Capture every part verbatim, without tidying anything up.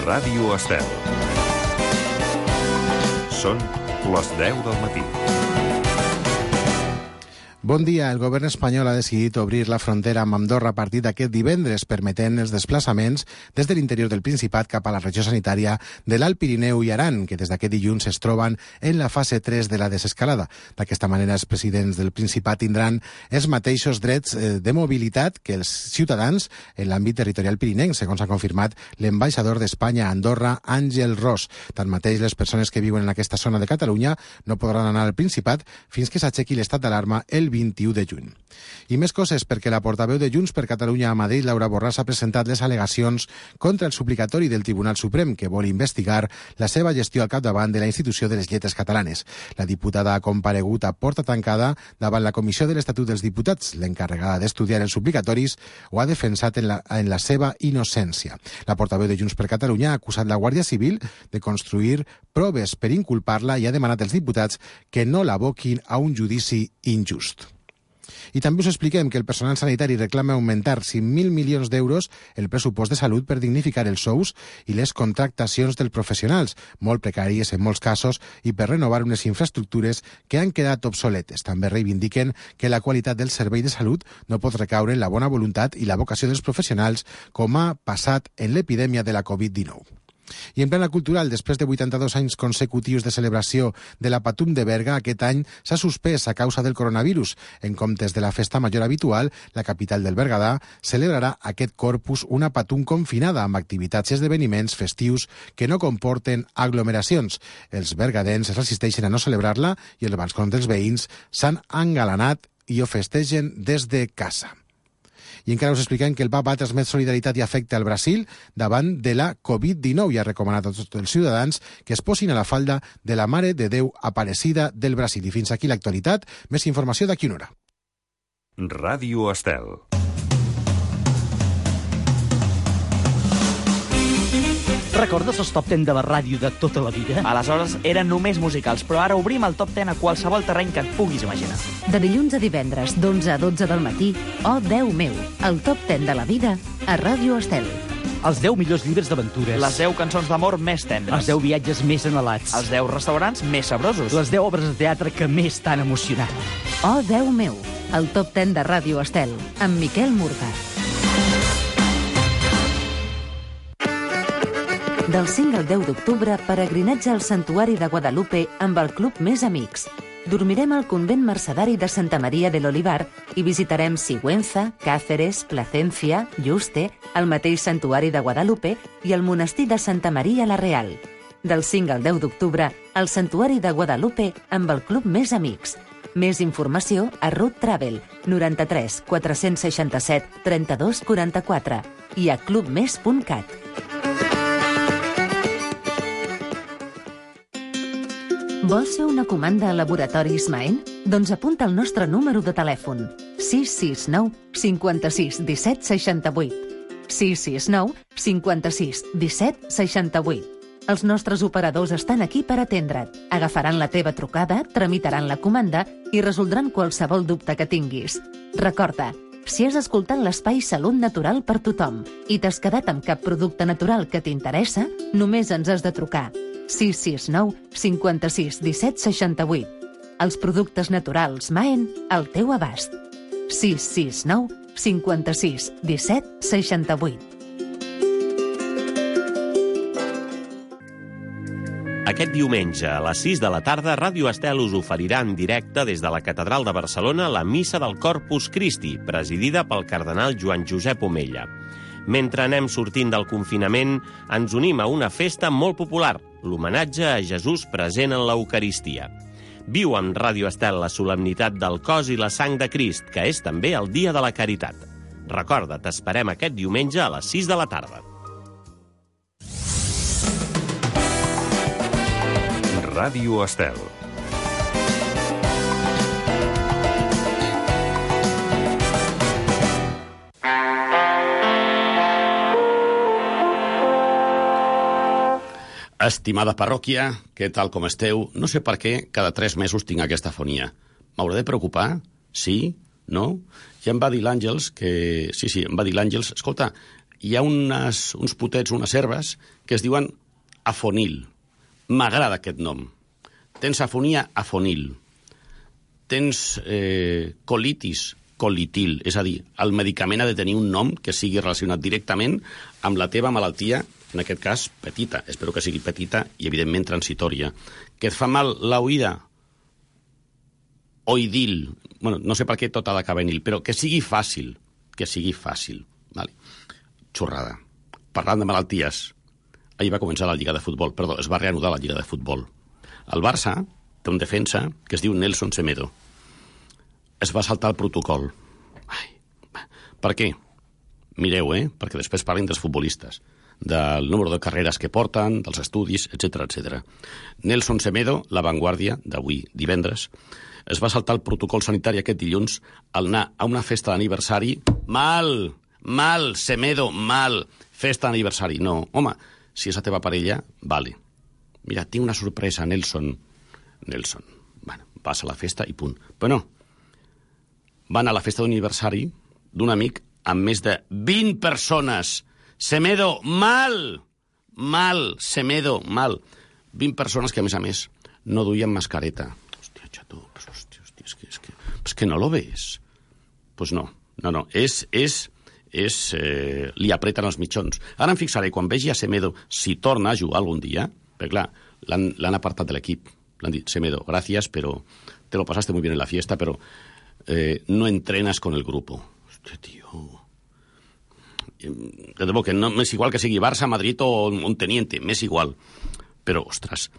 Ràdio Estel. Són les deu del matí. Bon dia. El govern espanyol ha decidit obrir la frontera amb Andorra a partir d'aquest divendres, permetent els desplaçaments des de l'interior del Principat cap a la regió sanitària de l'Alt Pirineu i Aran, que des d'aquest dilluns es troben en la fase tres de la desescalada. D'aquesta manera, els presidents del Principat tindran els mateixos drets de mobilitat que els ciutadans en l'àmbit territorial pirinenc, segons ha confirmat l'ambaixador d'Espanya a Andorra, Àngel Ros. Tanmateix, les persones que viuen en aquesta zona de Catalunya no podran anar al Principat fins que s'aixequi l'estat d'alarma el vint-i-u de juny. I més coses, perquè la portaveu de Junts per Catalunya a Madrid, Laura Borràs, ha presentat les al·legacions contra el suplicatori del Tribunal Suprem, que vol investigar la seva gestió al capdavant de la institució de les lletres catalanes. La diputada ha comparegut a porta tancada davant la Comissió de l'Estatut dels Diputats. L'encarregada d'estudiar els suplicatoris ho ha defensat en la, en la seva innocència. La portaveu de Junts per Catalunya ha acusat la Guàrdia Civil de construir proves per inculpar-la i ha demanat als diputats que no l'aboquin a un judici injust. I també us expliquem que el personal sanitari reclama augmentar cinc mil milions d'euros el pressupost de salut per dignificar els sous i les contractacions dels professionals, molt precàries en molts casos, i per renovar unes infraestructures que han quedat obsoletes. També reivindiquen que la qualitat del servei de salut no pot recaure en la bona voluntat i la vocació dels professionals, com ha passat en l'epidèmia de la covid dinou. I en plana cultural, després de vuitanta-dos anys consecutius de celebració de la Patum de Berga, aquest any s'ha suspès a causa del coronavirus. En comptes de la festa major habitual, la capital del Berguedà celebrarà aquest Corpus una Patum confinada amb activitats i esdeveniments festius que no comporten aglomeracions. Els bergadens es resisteixen a no celebrar-la i els balcons dels veïns s'han engalanat i ho festegen des de casa. I encara us expliquem que el Papa ha transmet solidaritat i afecte al Brasil davant de la covid dinou i ha recomanat a tots els ciutadans que es posin a la falda de la Mare de Déu Aparecida del Brasil. I fins aquí l'actualitat. Més informació d'aquí una hora. Ràdio Estel. Recordes els top deu de la ràdio de tota la vida? Aleshores eren només musicals, però ara obrim el top deu a qualsevol terreny que et puguis imaginar. De dilluns a divendres, d'onze a dotze del matí, Oh Déu meu, el top deu de la vida a Ràdio Estel. Els deu millors llibres d'aventures. Les deu cançons d'amor més tendres. Els deu viatges més anhelats. Els deu restaurants més sabrosos. Les deu obres de teatre que més t'han emocionat. Oh Déu meu, el top deu de Ràdio Estel, amb Miquel Murga. Del cinc al deu d'octubre, peregrinatge al Santuari de Guadalupe amb el Club Més Amics. Dormirem al convent mercedari de Santa Maria de l'Olivar i visitarem Sigüenza, Cáceres, Placencia, Yuste, el mateix Santuari de Guadalupe i el monestir de Santa Maria la Real. Del cinc al deu d'octubre, al Santuari de Guadalupe amb el Club Més Amics. Més informació a Root Travel, noranta-tres quatre-cents seixanta-set trenta-dos quaranta-quatre i a clubmes punt cat. Vols fer una comanda a Laboratoris Maen? Doncs apunta el nostre número de telèfon: sis sis nou cinquanta-sis disset seixanta-vuit. sis sis nou cinquanta-sis disset seixanta-vuit. Els nostres operadors estan aquí per atendre't. Agafaran la teva trucada, tramitaran la comanda i resoldran qualsevol dubte que tinguis. Recorda, si has escoltat l'espai Salut Natural per tothom i t'has quedat amb cap producte natural que t'interessa, només ens has de trucar. sis sis nou cinquanta-sis disset seixanta-vuit. Els productes naturals Maen al teu abast. sis sis nou cinquanta-sis disset seixanta-vuit. Aquest diumenge a les sis de la tarda, Ràdio Estel us oferirà en directe des de la Catedral de Barcelona la Missa del Corpus Christi, presidida pel cardenal Joan Josep Omella. Mentre anem sortint del confinament, ens unim a una festa molt popular, l'homenatge a Jesús present en l'Eucaristia. Viu amb Ràdio Estel la solemnitat del cos i la sang de Crist, que és també el dia de la caritat. Recorda, t'esperem aquest diumenge a les sis de la tarda. Ràdio Estel. Estimada parròquia, què tal com esteu? No sé per què cada tres mesos tinc aquesta afonia. M'hauré de preocupar? Sí? No? Ja em va dir l'Àngels que... Sí, sí, em va dir l'Àngels... Escolta, hi ha unes, uns potets, unes herbes, que es diuen afonil. M'agrada aquest nom. Tens afonia, afonil. Tens eh, colitis, colitil. És a dir, el medicament ha de tenir un nom que sigui relacionat directament amb la teva malaltia, en aquest cas, petita. Espero que sigui petita i, evidentment, transitòria. Que et fa mal l'oïda? Oidil. Bueno, no sé per què tot ha d'acabar en il, però que sigui fàcil. Que sigui fàcil. Vale. Xorrada. Parlant de malalties, ahir va començar la Lliga de Futbol. Perdó, es va reanudar la Lliga de Futbol. El Barça té un defensa que es diu Nelson Semedo. Es va saltar el protocol. Ai. Per què? Mireu, eh? Perquè després parlin dels futbolistes, del número de carreres que porten, dels estudis, etcètera, etcètera. Nelson Semedo, la Vanguardia, d'avui divendres, es va saltar el protocol sanitari aquest dilluns al anar a una festa d'aniversari. Mal! Mal, Semedo, mal! Festa d'aniversari. No, home, si és la teva parella, vale. Mira, tinc una sorpresa, Nelson. Nelson. Bueno, vas a la festa i punt. Però no. Van a la festa d'aniversari d'un amic amb més de vint persones. Semedo, mal! Mal, Semedo, mal. vint persones que, a més a més, no duien mascareta. Hòstia, xato, pues, hòstia, hòstia, és que, és que, és que no lo ves. Pues no, no, no, és... és, és eh, li apreten els mitjons. Ara em fixaré, quan vegi a Semedo, si torna a jugar algun dia, perquè clar, l'han apartat de l'equip. L'han dit, Semedo, gracias, pero te lo pasaste muy bien en la fiesta, pero eh, no entrenas con el grupo. Hòstia, tio... De debò que no m'és igual que sigui Barça, Madrid o un teniente, m'és igual. Però, ostres,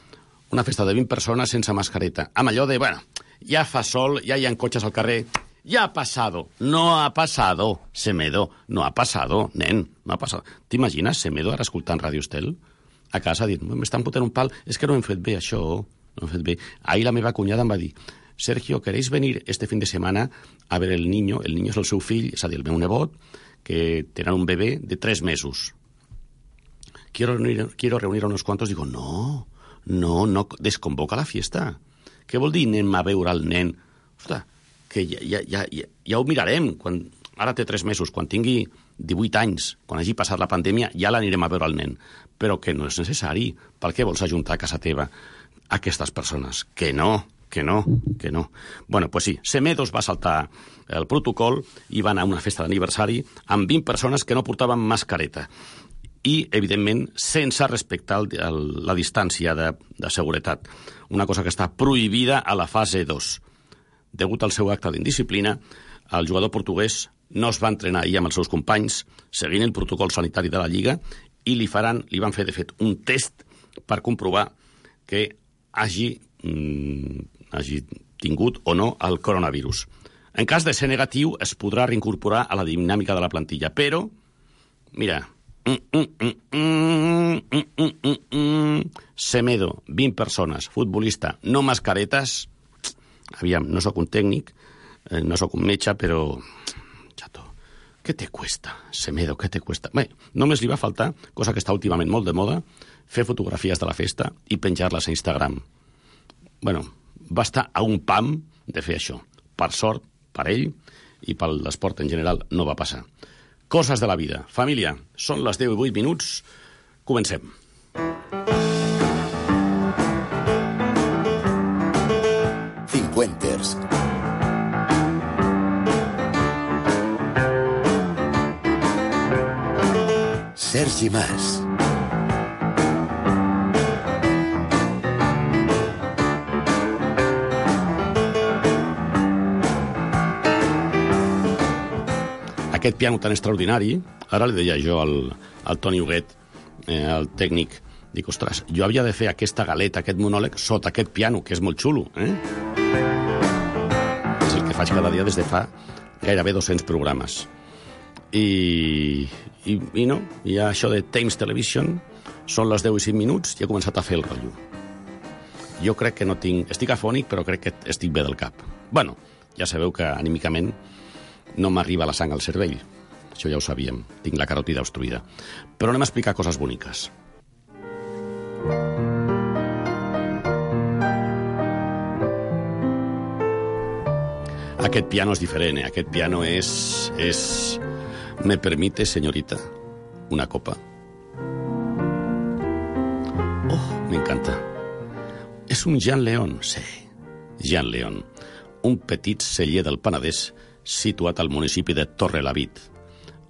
una festa de vint persones sense mascareta, amb allò de, bueno, ja fa sol, ja hi ha cotxes al carrer, ja ha pasado. No ha pasado, Semedo, no ha pasado, nen, no ha pasado. T'imagines Semedo ara escoltant Ràdio Estel? A casa dient, m'estan fotent un pal, és que no hem fet bé això, no hem fet bé. Ahir la meva cunyada em va dir, Sergio, ¿queréis venir este fin de semana a ver el niño? El niño és el seu fill, és a dir, el meu nebot, que tenen un bebé de tres mesos. Quiero reunir, quiero reunir a unos cuantos. Digo, no, no, no, desconvoca la fiesta. Què vol dir anem a veure el nen? Ostres, que ja, ja, ja, ja, ja ho mirarem. Quan, ara té tres mesos, quan tingui divuit anys, quan hagi passat la pandèmia, ja l'anirem a veure el nen. Però que no és necessari. Per què vols ajuntar a casa teva aquestes persones? Que no, que no, que no. Bueno, pues sí, Semedo es va saltar el protocol i va anar a una festa d'aniversari amb vint persones que no portaven mascareta. I, evidentment, sense respectar el, el, la distància de, de seguretat. Una cosa que està prohibida a la fase dos. Degut al seu acte d'indisciplina, el jugador portuguès no es va entrenar ahir amb els seus companys, seguint el protocol sanitari de la Lliga, i li, faran, li van fer, de fet, un test per comprovar que hagi, mm, hagi tingut o no el coronavirus. En cas de ser negatiu, es podrà reincorporar a la dinàmica de la plantilla, però, mira, mm, mm, mm, mm, mm, mm, mm, mm, Semedo, vint persones, futbolista, no mascaretes, aviam, no sóc un tècnic, eh, no sóc un metge, però, xato, què te cuesta, Semedo, què te cuesta? Bé, només li va faltar, cosa que està últimament molt de moda, fer fotografies de la festa i penjar-les a Instagram. Bueno, va estar a un pam de fer això. Per sort, per ell i per l'esport en general no va passar. Coses de la vida. Família, són les deu i vuit minuts. Comencem. Cincuenters. Sergi Mas. Aquest piano tan extraordinari, ara li deia jo al, al Toni Huguet, eh, el tècnic, dic, ostres, jo havia de fer aquesta galeta, aquest monòleg, sota aquest piano, que és molt xulo, eh? És el que faig cada dia des de fa gairebé dos-cents programes. I, i, i no, i això de Thames Television, són les deu i cinc minuts i he començat a fer el rotllo. Jo crec que no tinc... Estic afònic, però crec que estic bé del cap. Bueno, ja sabeu que anímicament no m'arriba la sang al cervell. Això ja ho sabíem. Tinc la caròtida obstruïda. Però anem a explicar coses boniques. Aquest piano és diferent, eh? Aquest piano és... és... Me permite, señorita. una copa. Oh, me encanta. És un Jean León, sí, Jean León, un petit celler del Penedès situat al municipi de Torrelavit,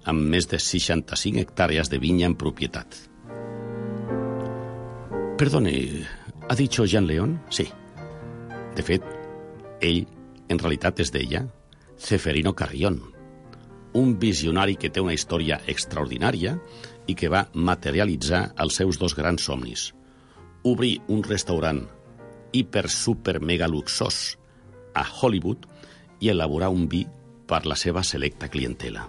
amb més de seixanta-cinc hectàrees de vinya en propietat. Perdone, ¿ha dicho Jean León? Sí. De fet, ell, en realitat, es deia Ceferino Carrión, un visionari que té una història extraordinària i que va materialitzar els seus dos grans somnis. Obrir un restaurant hiper, super, mega luxós a Hollywood i elaborar un vi per la seva selecta clientela.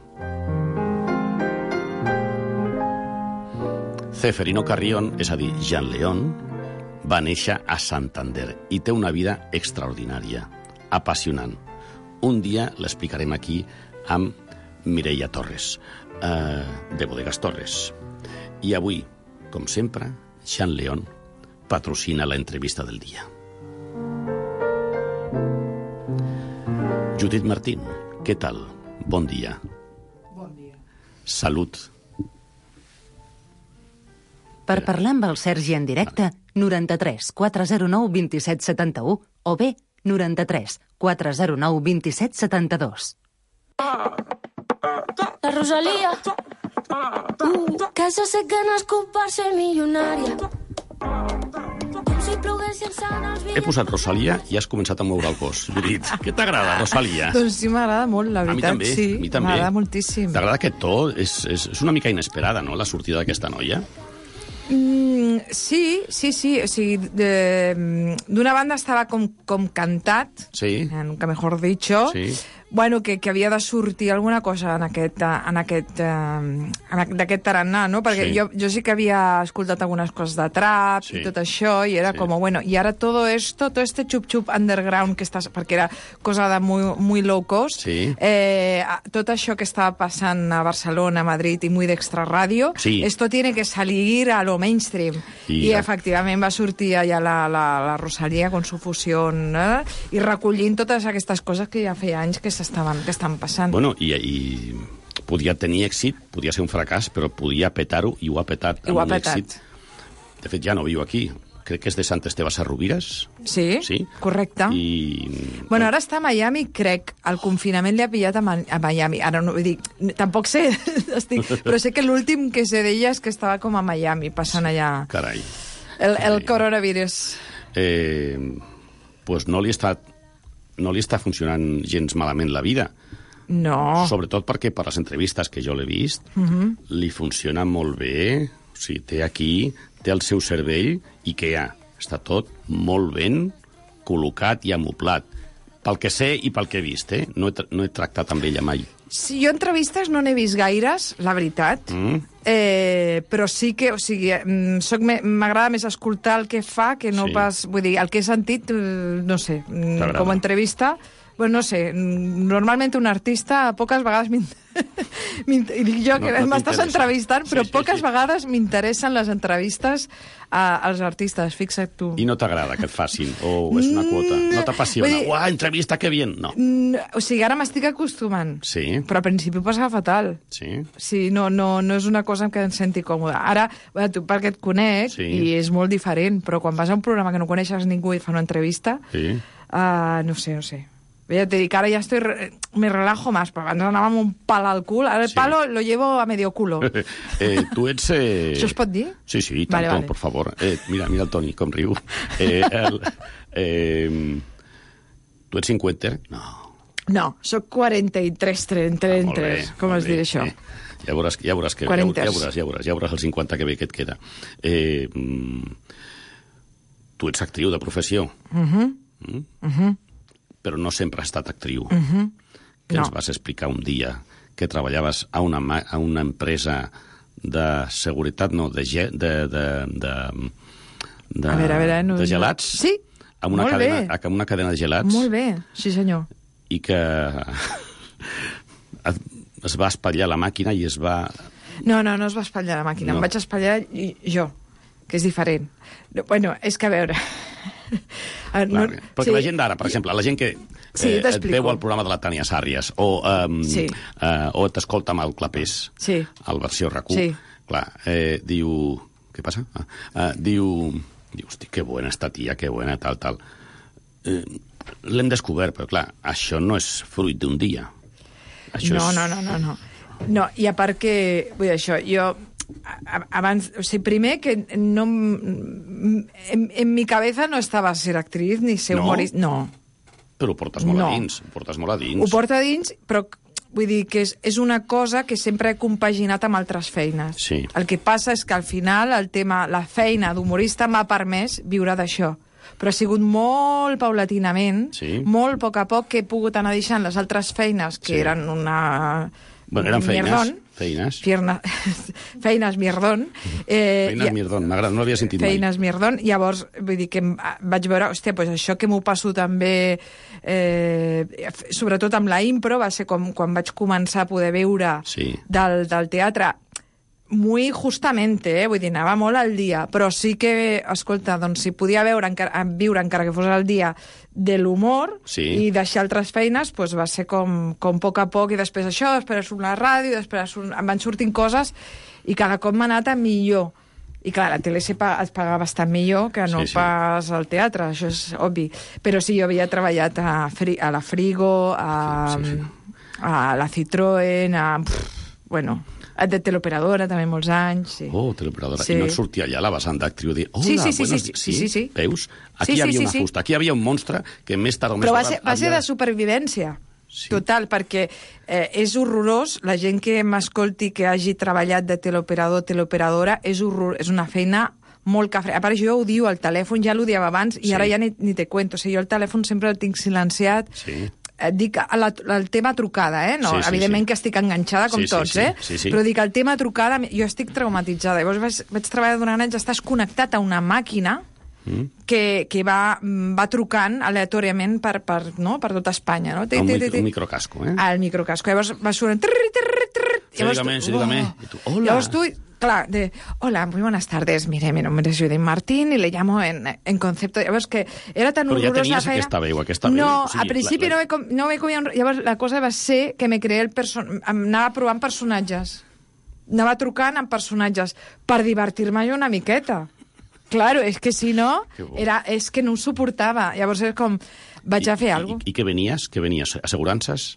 Ceferino Carrión, és a dir, Jean León, va néixer a Santander i té una vida extraordinària, apassionant. Un dia l'explicarem aquí amb Mireia Torres, eh, de Bodegas Torres. I avui, com sempre, Jean León patrocina la entrevista del dia. Judit Martín, què tal? Bon dia. Bon dia. Salut. Per parlar amb el Sergi en directe, noranta-tres quatre zero nou vint-i-set setanta-u o bé noranta-tres quatre zero nou vint-i-set setanta-dos. La Rosalía, uh, que se sé que nascut per ser milionària. He posat Rosalía i has començat a moure el cos. Judit, què t'agrada, Rosalía? Doncs sí, m'agrada molt, la A mi veritat. també, sí, a mi també. m'agrada moltíssim. T'agrada aquest to? És, és, és una mica inesperada, no?, la sortida d'aquesta noia. Mm, sí, sí, sí. O sigui, de- d'una banda estava com, com cantat, Sí. nunca mejor dicho, Sí. bueno, que, que havia de sortir alguna cosa en aquest, eh, en aquest, eh, en aqu- d'aquest tarannà, no? Perquè Sí. jo, jo sí que havia escoltat algunes coses de trap Sí. i tot això, i era Sí. com, bueno, y ahora todo esto, todo este chup-chup underground que estàs, perquè era cosa de muy, muy low cost, Sí. eh, tot això que estava passant a Barcelona, a Madrid i muy d'extrarradio, Sí. esto tiene que salir a lo mainstream. I- I, efectivament va sortir allà la, la, la Rosalía con su fusión, eh? I recollint totes aquestes coses que ja feia anys que s'estaven que estan passant. Bueno, i, i podia tenir èxit, podia ser un fracàs, però podia petar-ho i ho ha petat I ho ha amb un petat. èxit. De fet, ja no viu aquí. Crec que és de Sant Esteve Sesrovires. Sí, Sí. correcte. I... Bueno, ara està a Miami, crec. El confinament li ha pillat a, Ma a Miami. Ara no vull dir, tampoc sé, estic, però sé que l'últim que sé d'ella és que estava com a Miami, passant allà Carai. el, el Sí. coronavirus. Eh, pues no li està no li està funcionant gens malament la vida. No. Sobretot perquè per les entrevistes que jo l'he vist, Mhm. li funciona molt bé. O sigui, té aquí, té el seu cervell i què hi ha? Està tot molt ben col·locat i amoblat. Pel que sé i pel que he vist, eh? No he, tra- no he tractat amb ella mai. Sí, jo entrevistes no n'he vist gaires, la veritat. Mm? Eh, però sí que, o sigui, mm, soc me- m'agrada més escoltar el que fa que no Sí. pas... Vull dir, el que he sentit, eh, no sé, mm, T'agrada? com a entrevista... Bueno, no sé, mm, normalment un artista poques vegades m'in- m'in- i dic jo que No- no m'estàs t'interessa. entrevistant, però Sí, sí, poques sí. vegades m'interessen les entrevistes a, als artistes, fixa't tu. I no t'agrada que et facin? O és una quota? No t'apassiona? Vull dir- Uah, entrevista, que bien! No. Mm, o sigui, ara m'estic acostumant, Sí, però al principi ho passava fatal. sí. Sí, no, no, no és una cosa en què em senti còmoda. Ara, bueno, tu perquè et conec, Sí. i és molt diferent, però quan vas a un programa que no coneixes ningú i et fa una entrevista, sí. uh, no sé, no sé. Ja te dic, ara ja estoy, re- me relajo más, però abans anàvem amb un pal al cul, ara el Sí. palo lo llevo a medio culo. eh, tu ets... Eh... Això es pot dir? Sí, sí, tant, Vale, vale. por favor. Eh, mira, mira el Toni, com riu. Eh, el, eh, tu ets cinquanta? No. No, soc quaranta-tres, trenta, Ah, molt trenta-tres, bé, com molt es dirà bé, això? eh. Ja veuràs, ja veuràs que ja, quaranta. ja veuràs, ja veuràs, ja veuràs el cinquanta que bé que et queda. Eh, mm, tu ets actriu de professió, Uh -huh. mm? Uh -huh. però no sempre has estat actriu. Uh -huh. Que No. ens vas explicar un dia que treballaves a una, ma- a una empresa de seguretat, no, de, ge- de, de, de, de, A veure, a veure, no- de gelats? Sí, amb una molt cadena, bé. amb una cadena de gelats. Molt bé, sí senyor. I que es va espatllar la màquina i es va... No, no, no es va espatllar la màquina, No. em vaig espatllar i- jo, que és diferent. No, bueno, és que a veure... Ah, No, perquè sí. La gent d'ara, per exemple, la gent que Sí, eh, et t'explico. veu al programa de la Tània Sàrries o, um, Sí. eh, o t'escolta amb el Clapés, Sí. al versió RAC u, Sí. clar, eh, diu... Què passa? Ah, ah, diu... Diu, hosti, que bona esta tia, que bona, tal, tal. Eh, L'hem descobert, però clar, això no és fruit d'un dia. Això no, és... no, no, no, no. No, i a part que... Vull dir, això, jo... Abans, o sigui, primer que no... En, en mi cabeza no estava ser actriz ni ser No? humorista. No. Però ho portes molt No. a dins, ho portes molt a dins. Ho porta a dins, però vull dir que és, és una cosa que sempre he compaginat amb altres feines. Sí. El que passa és que al final el tema, la feina d'humorista m'ha permès viure d'això. Però ha sigut molt paulatinament, Sí. molt a poc a poc, que he pogut anar deixant les altres feines, que Sí. eren una... Bueno, eren feines. mierdón. Feines. Fierna... feines mierdón. Eh, Feines i- mierdón, m'agrada, no l'havia sentit mai. Feines mierdón. Llavors, vull dir que em- vaig veure, hòstia, pues això que m'ho passo també, eh, sobretot amb la impro, va ser com quan vaig començar a poder veure Sí. del, del teatre, muy justamente, eh? Vull dir, anava molt al dia, però sí que, escolta, doncs si podia veure, encara, viure encara que fos al dia de l'humor Sí. i deixar altres feines, doncs va ser com, com a poc a poc, i després això, després surt la ràdio, després surt, em van sortint coses, i cada cop m'ha anat a millor. I clar, la tele es paga bastant millor que no Sí, sí. pas al teatre, això és obvi. Però sí, jo havia treballat a, Fri a la Frigo, a, Sí, sí, sí. a la Citroën, a... Pff, bueno, de teleoperadora també molts anys, sí. Oh, teleoperadora. Sí. I no et sortia allà la vessant d'actriu dir, hola, Sí, sí, sí, buenos sí, días. sí, sí, sí. Veus? Aquí Sí, hi havia sí, sí, una sí. fusta, aquí hi havia un monstre que més tard o més Però va tard ser, va ser havia- de supervivència. Sí. Total, perquè eh, és horrorós, la gent que m'escolti que hagi treballat de teleoperador, teleoperadora, és, horror, és una feina molt cafre. A part, jo ho diu al telèfon, ja l'odiava abans, i Sí. ara ja ni, ni te cuento. O sigui, jo el telèfon sempre el tinc silenciat. Sí. Et dic la, el tema trucada, eh? No, Sí, sí, evidentment sí. que estic enganxada, com Sí, sí, tots, sí, eh? sí, sí. Però dic, el tema trucada, jo estic traumatitzada. Llavors vaig, vaig treballar durant anys, estàs connectat a una màquina Mm. que, que va, va trucant aleatòriament per, per, no? per tota Espanya. No? Un, micro, un microcasco, eh? Al microcasco. Llavors va sonant... Trrr, trrr, trrr, Sí, dígame, sí, dígame. oh. I tu, hola. Llavors tu, clar, de, hola, muy buenas tardes, mire, mi nombre es Judith Martín y le llamo en, en concepto... Llavors que era tan Però ja horrorosa tenies la feina... aquesta veu, aquesta veu. No, O sigui, al principi la- la- no me, com- no me comia... un- Llavors la cosa va ser que me creé el person... Anava provant personatges. Anava trucant amb personatges per divertir-me jo una miqueta. Claro, és que si no, Que bo. era, és que no ho suportava. Llavors és com, vaig a fer I, alguna cosa. I, I què venies? Què venies? Assegurances?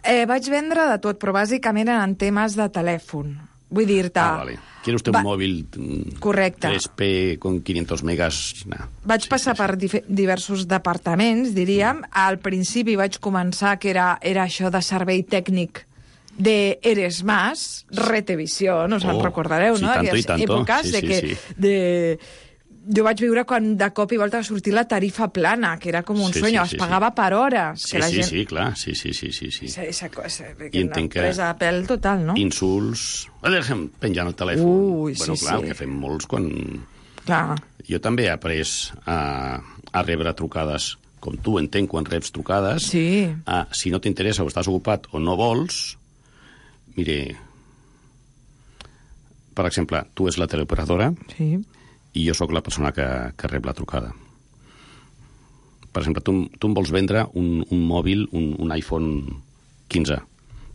Eh, vaig vendre de tot, però bàsicament en temes de telèfon. Vull dir-te... Ah, vale. ¿Quiere usted Va- un móvil mm, Correcte. tres P con quinientos megas? Nah. Vaig Sí, passar sí, per dif- diversos departaments, diríem. Al principi vaig començar que era, era això de servei tècnic de Eres Más, Retevisió, no us en Oh, recordareu, sí, no? tanto Aquelles i tanto. èpoques Sí, de sí, que... sí. De... Jo vaig viure quan de cop i volta va sortir la tarifa plana, que era com un Sí, sueño, sí, sí, es pagava sí. per hores. Sí, que la sí, gent... sí, clar. Sí, sí, sí, sí, sí. Esa, esa cosa, que I una entenc que- presa de pèl total, no? Insults... Ah, deixa'm penjant el telèfon. Ui, bueno, sí, clar, sí. que fem molts quan... Clar. Jo també he après a, a rebre trucades, com tu entenc quan reps trucades. Sí. A, si no t'interessa o estàs ocupat o no vols, mire, per exemple, tu és la teleoperadora Sí. i jo sóc la persona que, que rep la trucada. Per exemple, tu, tu em vols vendre un, un mòbil, un, un iPhone quinze,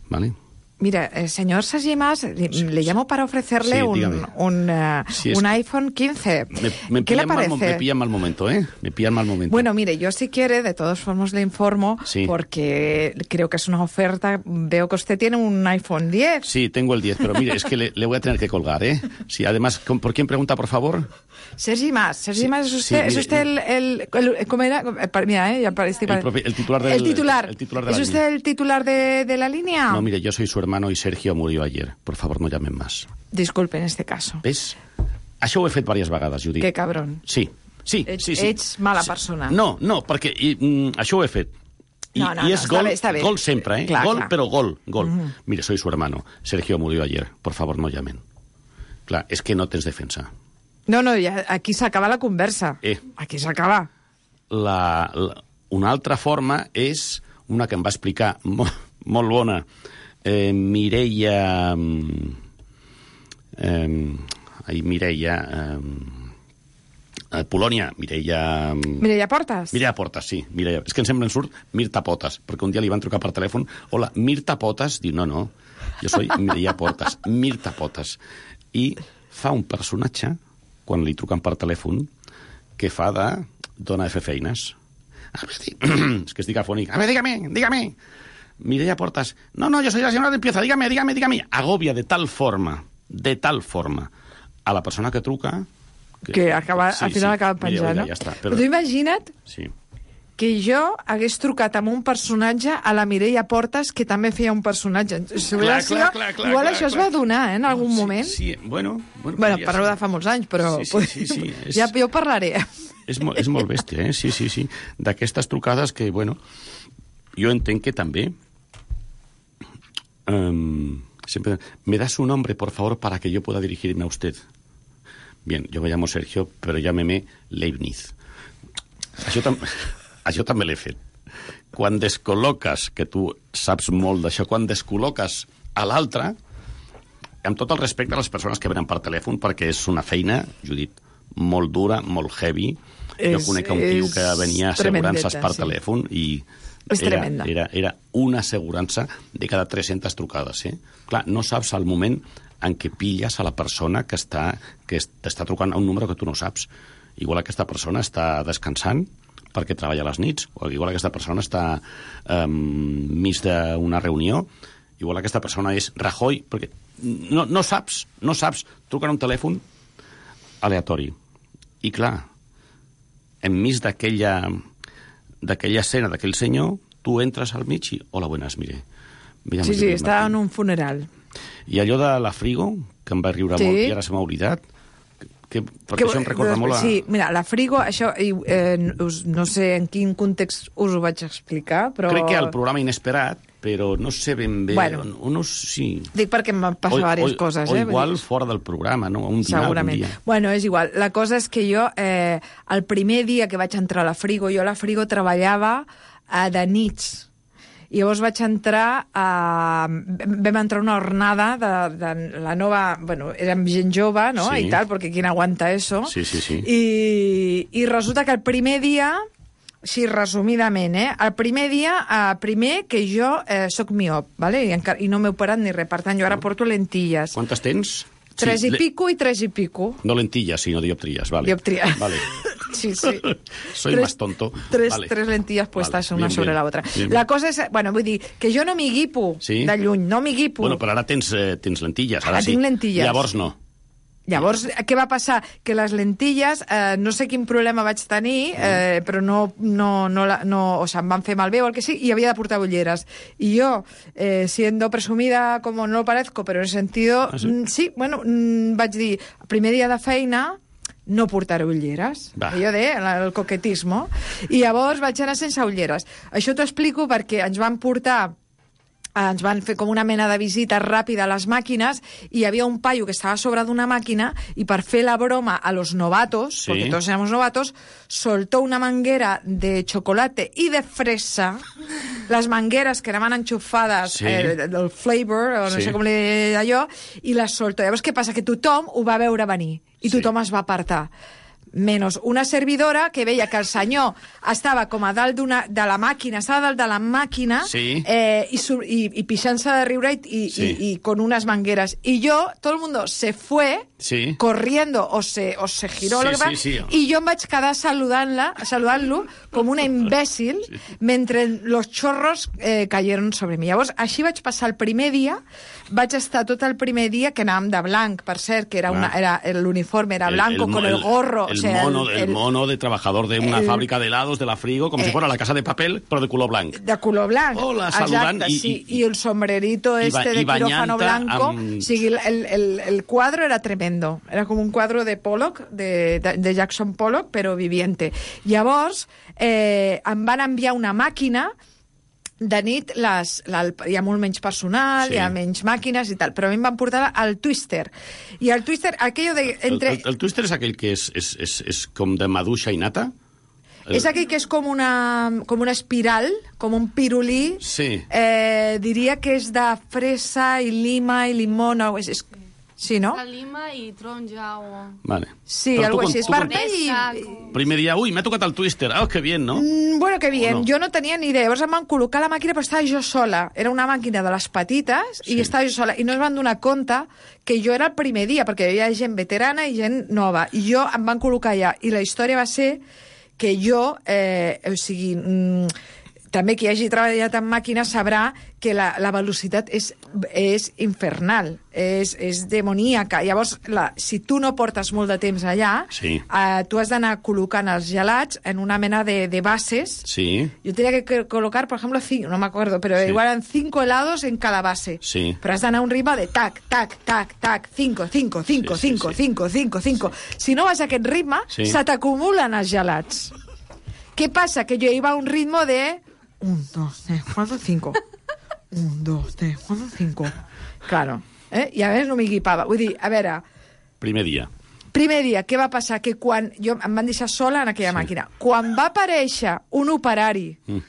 ¿vale? Mira, eh, señor Sajimas, le, le llamo para ofrecerle Sí, un, dígame. un, eh, Sí, es un que- iPhone quince. Me, me ¿Qué le pillan mal mo- parece? me pillan mal momento, ¿eh? Me pillan mal momento. Bueno, mire, yo si quiere, de todas formas le informo, Sí. porque creo que es una oferta. Veo que usted tiene un iPhone diez. Sí, tengo el diez, pero mire, es que le, le voy a tener que colgar, ¿eh? Sí, además, ¿con- ¿por quién pregunta, por favor? Sergi Mas, Sergi Sí, Mas, ¿es sí, usted, ¿es mire, usted el, el, el- ¿cómo era? Eh, pa- Mira, eh, ya parece... El propi- el titular del- El titular. el titular de ¿Es la usted línea. el titular de, de la línea? No, mire, yo soy su hermano y Sergio murió ayer. Por favor, no llamen más. Disculpe, en este caso. Ves? Això ho he fet diverses vegades, Judit. Qué cabrón. Sí, sí, Ets, sí, sí. ets mala Sí. persona. No, no, perquè i, mm, això ho he fet. I, No, no, i no, és està gol, bé, està bé. gol sempre, eh? Clar, gol, clar. però gol, gol. Mhm. Mire, soy su hermano. Sergio murió ayer. Por favor, no llamen. Clar, és que no tens defensa. No, no, ja, aquí s'acaba la conversa. Eh. Aquí s'acaba. La, la, una altra forma és una que em va explicar molt, molt bona eh, Mireia eh, ai, Mireia eh, Polònia Mireia Mireia Portas. Mireia Portas, sí, Mireia. És que em sembla en surt Mirta Potes, perquè un dia li van trucar per telèfon, hola, Mirta Potes, diu, no, no, jo soy Mireia Portas, Mirta Potes. i fa un personatge, quan li truquen per telèfon, que fa de dona de fer feines. A ver, és que estic afònic. A ver, dígame, dígame. Mireia Portas. No, no, yo soy la señora de limpieza. Dígame, dígame, dígame. Agobia de tal forma, de tal forma, a la persona que truca... Que, que acaba, sí, al final sí, acaba penjant, no? Ja està, però... però tu imagina't sí. que jo hagués trucat amb un personatge a la Mireia Portas, que també feia un personatge. Si clar, clar, clar, clar, igual clar, això clar. Es va donar, eh, en algun sí, moment. Sí, bueno... Bueno, bueno parlo de fa molts anys, però... Sí, sí, sí, sí, és... Ja jo parlaré. És, mo és molt bèstia, eh? Sí, sí, sí. D'aquestes trucades que, bueno, jo entenc que també... Um, siempre... Me da su nombre, por favor, para que yo pueda dirigirme a usted. Bien, yo me llamo Sergio, pero llámeme Leibniz. Això, tam això també l'he fet. Quan descol·loques, que tu saps molt d'això, quan descol·loques a l'altre, amb tot el respecte a les persones que venen per telèfon, perquè és una feina, Judit, molt dura, molt heavy. És, jo conec un tio que venia assegurances per sí. telèfon i era, era, era una assegurança de cada tres-centes trucades. Eh? Clar, no saps al moment en què pilles a la persona que està que t'està trucant a un número que tu no saps. Igual aquesta persona està descansant perquè treballa a les nits, o igual aquesta persona està um, mig d'una reunió, igual aquesta persona és Rajoy, perquè no, no saps, no saps, truquen un telèfon aleatori. I clar, enmig d'aquella d'aquella escena, d'aquell senyor, tu entres al mig i, hola, buenas, mire. Sí, sí, està en un funeral. I allò de la Frigo, que em va riure sí. molt i ara se m'ha oblidat, que, perquè que, això em recorda doncs, molt a... Sí, mira, la Frigo, això, eh, no sé en quin context us ho vaig explicar, però... Crec que al programa Inesperat, però no sé ben bé... Bueno, o no, sí. Dic perquè em van passar diverses o, coses. O eh? igual fora del programa, no? Un dinar, segurament. Un dia. Bueno, és igual. La cosa és que jo, eh, el primer dia que vaig entrar a la Frigo, jo a la Frigo treballava eh, de nits. I llavors vaig entrar a... Vam entrar una jornada de, de la nova... Bueno, érem gent jove, no? Sí. I tal, perquè qui aguanta eso. Sí, sí, sí. I, I resulta que el primer dia, així resumidament, eh? El primer dia, eh, primer que jo eh, soc miop, ¿vale? I, encara, i no m'he operat ni res. Per tant, jo ara porto lentilles. Quantes tens? Tres sí, i le... pico i tres i pico. No lentillas, sino dioptrías, vale. Dioptrías. Vale. Sí, sí. Soy tres, más tonto. Tres, vale. tres lentillas puestas vale. una bien, sobre bien. la otra. Bien, la cosa és... Bueno, vull dir, que jo no m'hi guipo sí? de lluny, no m'hi guipo. Bueno, però ara tens, eh, tens lentilles. Ara, ara sí. tinc lentilles. Llavors no. Llavors, què va passar? Que les lentilles, eh, no sé quin problema vaig tenir, eh, però no, no, no, no, o sea, em van fer malbé o el que sigui, i havia de portar ulleres. I jo, eh, siendo presumida como no lo parezco, pero en el sentido... Ah, sí? Mm, sí, bueno, mm, vaig dir, primer dia de feina, no portaré ulleres. Va. Allò de el coquetismo. I llavors vaig anar sense ulleres. Això t'ho explico perquè ens van portar ens van fer com una mena de visita ràpida a les màquines i hi havia un paio que estava a sobre d'una màquina i per fer la broma a los novatos, sí. porque todos éramos novatos, soltó una manguera de chocolate y de fresa, las mangueras que anaven enxufades, sí. eh, del flavor, o no sí. sé com li deia allò, i les soltó. Llavors, què passa? Que tothom ho va veure venir i tothom sí. es va apartar. Menos una servidora que veia que el senyor estava com a dalt de la màquina, estava dalt de la màquina sí. eh, i, i, i pixant-se de riure i, sí. y, y con unas mangueras. Y yo, todo el mundo se fue sí. corriendo o se, o se giró sí, lo que va, sí, sí. y yo em vaig quedar saludant-la, saludant-lo com una imbècil sí. mentre los chorros eh, cayeron sobre mi. Llavors, així vaig passar el primer dia, vaig estar tot el primer dia que anàvem de blanc, per cert, que era una, era, l'uniforme era blanco el, el, con el gorro. El, o sea, mono, el, el mono de trabajador de una el, fábrica de helados de la Frigo, com eh, si fuera la casa de papel, però de color blanc. De color blanc. Hola, saludant. Exacte, i, sí. i, I el sombrerito este de quirófano blanco. Amb... O sigui, el, el, el cuadro era tremendo. Era com un quadro de Pollock, de, de, de Jackson Pollock, però viviente. Llavors, eh, em van enviar una màquina de nit, les, la, hi ha molt menys personal, sí. hi ha menys màquines i tal, però a mi em van portar al Twister. I el Twister, aquello de... Entre... El, el, el Twister és aquell que és, és, és, és com de maduixa i nata? El... És aquell que és com una, com una espiral, com un pirulí. Sí. Eh, diria que és de fresa i lima i limona. És, és... Sí, no? Salima i taronja o... Vale. Sí, Però algo tu, així. tu, Esparta i... Primer dia, ui, m'ha tocat el twister. Oh, que bien, no? Mm, bueno, que bien. no? Jo no tenia ni idea. Llavors em van col·locar la màquina, però estava jo sola. Era una màquina de les petites Sí. i estava jo sola. I no es van donar compte que jo era el primer dia, perquè hi havia gent veterana i gent nova. I jo em van col·locar allà. I la història va ser que jo, eh, o sigui... Mm, també qui hagi treballat en màquines sabrà que la, la velocitat és, és infernal, és, és demoníaca. Llavors, la, si tu no portes molt de temps allà, Sí. eh, tu has d'anar col·locant els gelats en una mena de, de bases. Sí. Yo tenía que colocar, por ejemplo, cinco, no me acuerdo, pero Sí. igual eran cinco helados en cada base. Sí. Pero has d'anar a un ritme de tac, tac, tac, tac, cinco, cinco, cinco, Sí, sí, cinco, sí. cinco, cinco, cinco. Si no vas a aquest ritme, Sí. se t'acumulen els gelats. ¿Qué pasa? Que yo iba a un ritmo de... Un, dos, tres, cuatro, cinco. Un, dos, tres, cuatro, cinco. Claro. Eh? I a veure, no m'equipava. Vull dir, a veure, Primer dia. primer dia, què va passar? Que quan... Jo em van deixar sola en aquella sí. màquina. Quan va aparèixer un operari Mm.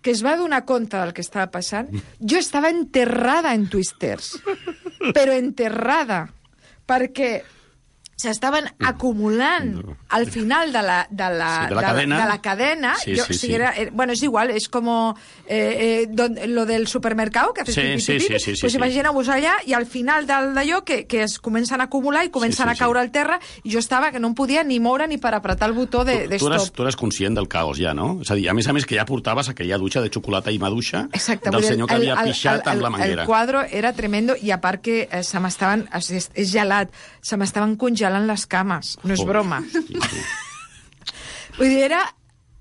que es va donar compte del que estava passant, jo estava enterrada en twisters. Però enterrada. Perquè s'estaven acumulant al final de la, de la, Sí, de la cadena. de la cadena. Sí, jo, sí, o sigui, sí. era, eh, bueno, és igual, és com eh, eh, don, lo del supermercado, que haces Sí, pipi, sí, pipi, sí, sí, sí, pues sí. imagineu-vos allà, i al final del d'allò que, que es comencen a acumular i comencen Sí, sí, a caure al terra, i jo estava que no em podia ni moure ni per apretar el botó de, de Tu eres, stop. tu eres conscient del caos ja, no? És a dir, a més a més que ja portaves aquella dutxa de xocolata i maduixa Exacte, del vull dir, senyor que el- havia el- pixat el- amb la el- manguera. El quadre era tremendo, i a part que eh, se m'estaven... És, és gelat, se m'estaven congelant les cames, no és Joder, broma. sí, sí. Vull dir, era...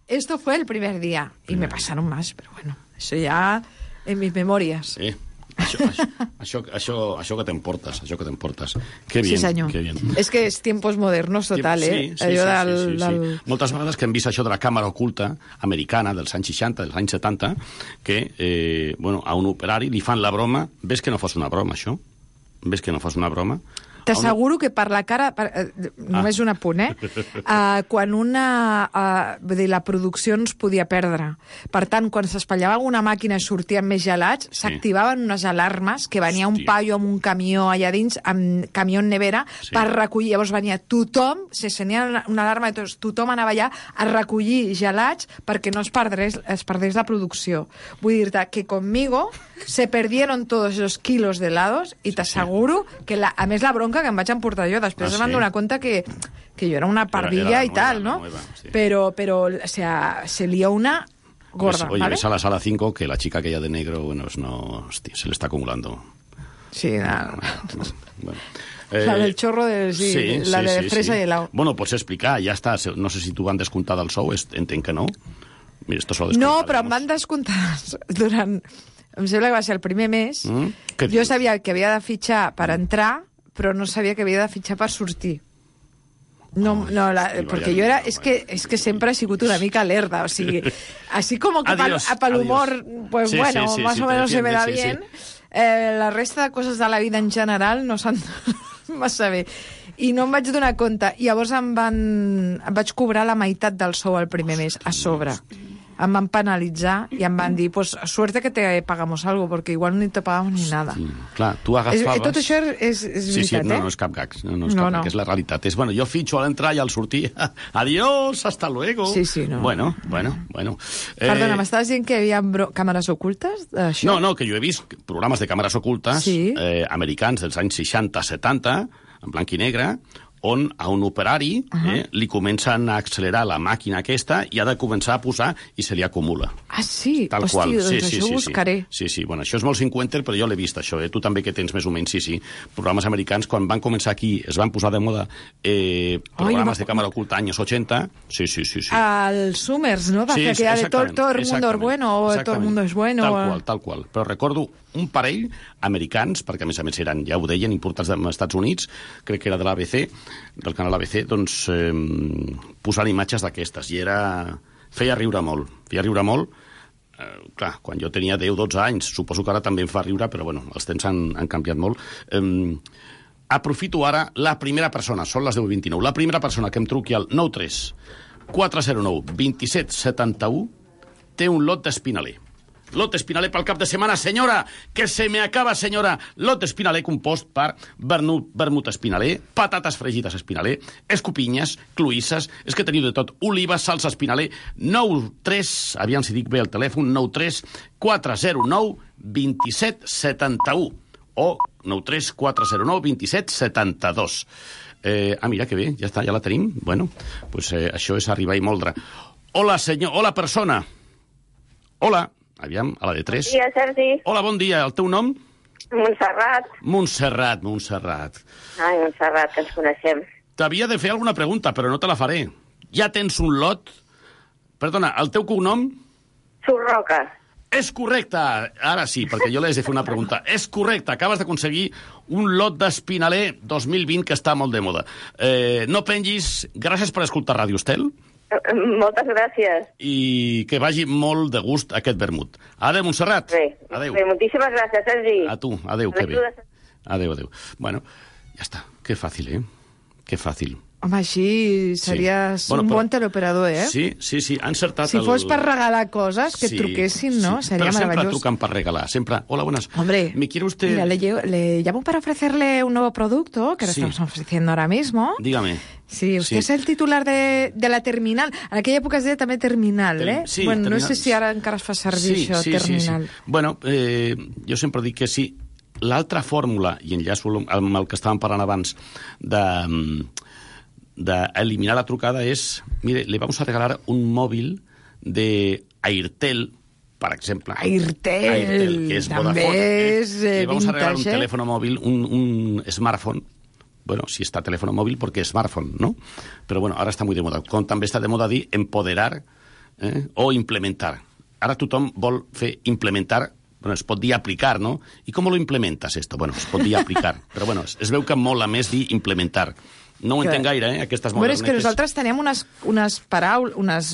Esto fue el primer día, y me pasaron más, pero bueno, eso ya en mis memorias. Eh, això, això, això, això, això que t'emportes, això que t'emportes. Que bien, Sí, senyor. que bien. És que és tiempos modernos total, eh? Sí, sí, Allò sí, del, sí, sí, sí. del... Moltes vegades que hem vist això de la càmera oculta americana dels anys seixanta, dels anys setanta, que eh, bueno, a un operari li fan la broma, ves que no fos una broma, això? Ves que no fos una broma? T'asseguro que per la cara... Per, eh, només un apunt, eh? Uh, quan una... Uh, vull dir, la producció ens podia perdre. Per tant, quan s'espatllava alguna màquina i sortien més gelats, Sí. s'activaven unes alarmes, que venia un Hòstia. paio amb un camió allà dins, amb camió en nevera, Sí. per recollir. Llavors venia tothom, se senia una, una alarma, i tots, tothom anava allà a recollir gelats perquè no es perdés, es perdés la producció. Vull dir-te que conmigo se perdieron todos esos kilos de helados i t'asseguro que, la, a més, la bronca que em vaig emportar jo. Després Ah, es van sí? donar compte que, que jo era una pardilla era la y tal, nueva, ¿no? la nueva, sí. Pero, pero, o sea, se lió una gorda, Oye, ¿vale? ves a la sala cinco que la chica aquella de negro, bueno, es no, hostia, se le está acumulando. Sí, nada. Bueno. La del chorro de... Sí, la de fresa y helado. Bueno, pots explicar, ja està. No sé si t'ho van descomptar del sou, est- entenc que no. Mira, esto se lo No, descontaremos. però em van descomptar durant... Em sembla que va ser el primer mes. Mm? Què Jo dius? sabia que havia de fitxar per entrar, però no sabia que havia de fitxar per sortir. No, no, la, sí, porque vaya yo era, lío, es que, es que siempre he sido una mica lerda, o sea, así como que Adiós, para el humor, adiós. pues Sí, bueno, sí, sí, más sí, o te menos se me da defiendes, sí, bien. Eh, la resta de coses de la vida en general no s'han massa bé. I no em vaig donar compte. I llavors em, van, em vaig cobrar la meitat del sou el primer mes, a sobre. Em van penalitzar i em van dir, pues suerte que te pagamos algo, porque igual ni te pagamos ni nada. Sí, clar, tu És, agafaves... tot això és, és Sí, sí, veritat, no, eh? no és cap gag, no, no és No, cap no. gag, és la realitat. És, bueno, jo fitxo a l'entrar i al sortir, adiós, hasta luego. Sí, sí, no. Bueno, bueno, bueno. Perdona, Eh, m'estaves dient que hi havia bro- càmeres ocultes d'això? No, no, que jo he vist programes de càmeres ocultes Sí. eh, americans dels anys seixanta setanta, en blanc i negre, on a un operari uh -huh. eh, li comencen a accelerar la màquina aquesta i ha de començar a posar i se li acumula. Ah, sí? Tal Hosti, qual. doncs sí, això sí, ho sí, buscaré. Sí, sí, bueno, això és molt cinquanta, però jo l'he vist, això, eh? Tu també que tens més o menys, sí, sí. Programes americans, quan van començar aquí, es van posar de moda eh, programes Ai, de càmera oculta anys ochenta, sí, sí, sí. sí. Al Summers, ¿no? Va Sí, fer aquella de todo, exactament, todo el mundo es exactament, bueno o todo el exactament. mundo es bueno. Tal o- qual, tal qual. Però recordo un parell americans, perquè a més a més eren, ja ho deien, importats dels Estats Units, crec que era de l'A B C, del canal A B C, doncs eh, posant imatges d'aquestes, i era... feia riure molt, feia riure molt. Eh, clar, quan jo tenia deu dotze anys, suposo que ara també em fa riure, però bueno, els temps han, han canviat molt. Eh, aprofito ara la primera persona, són les deu vint-i-nou, la primera persona que em truqui al nou tres quatre zero nou dos set set u té un lot d'espinaler. Lot Espinaler pel cap de setmana. Senyora, que se me acaba, senyora. Lot Espinaler compost per vermut, vermut Espinaler, patates fregides Espinaler, escopinyes, cloïsses, és que teniu de tot, olives, salsa Espinaler, nou tres, aviam si dic bé el telèfon, nou tres quatre zero nou dos set set u o nou tres quatre zero nou dos set set dos. Eh, ah, mira, que bé, ja està, ja la tenim. Bueno, pues, eh, això és arribar i moldre. Hola, senyor, hola, persona. Hola, aviam, a la de tres. Bon dia, Sergi. Hola, bon dia, el teu nom? Montserrat. Montserrat, Montserrat. Ai, Montserrat, que ens coneixem. T'havia de fer alguna pregunta, però no te la faré. Ja tens un lot? Perdona, el teu cognom? Surroca. És correcte. Ara sí, perquè jo li he de fer una pregunta. És correcte, acabes d'aconseguir un lot d'Espinaler dos mil vint que està molt de moda. Eh, no pengis. Gràcies per escoltar Ràdio Estel. Moltes gràcies. I que vagi molt de gust aquest vermut. Adéu, Montserrat. Bé, adéu. bé, moltíssimes gràcies, Sergi. A tu, adéu, que bé. Adéu, adéu. Bueno, ja està. Que fàcil, eh? Que fàcil. Home, així series sí. bueno, un però... bon teleoperador, eh? Sí, sí, sí, ha encertat... Si el... fos per regalar coses, que sí, truquessin, ¿no? Sí. Sería pero maravilloso. Siempre trucan para regalar, siempre... Hola, buenas. Hombre, ¿me quiere usted...? Mira, le, le llamo para ofrecerle un nuevo producto que le sí. estamos ofreciendo ahora mismo. Dígame. Sí, usted sí. es el titular de, de la terminal. En aquella època es deia també terminal, Ter... eh? Sí, bueno, terminal. No sé si ara encara es fa servir sí, això, sí, terminal. Sí, sí. Bueno, eh, jo sempre dic que sí. L'altra fórmula, i enllaço amb el que estàvem parlant abans, de... d'eliminar la trucada és, mire, le vamos a regalar un móvil de Airtel, per exemple. Airtel, Airtel que és també Vodafone, és eh, le vamos vintage, a regalar un eh? teléfono móvil, un, un smartphone. Bueno, si està teléfono móvil porque es smartphone, ¿no? Pero bueno, ara està muy de moda. Com també està de moda dir empoderar eh, o implementar. Ara tothom vol fer implementar. Bueno, es pot dir aplicar, ¿no? I com lo implementas esto? Bueno, es pot dir aplicar. Però bueno, es veu que mola més dir implementar. No ho entenc gaire, eh, aquestes modernetes. Bueno, és que nosaltres teníem unes, unes paraules, unes,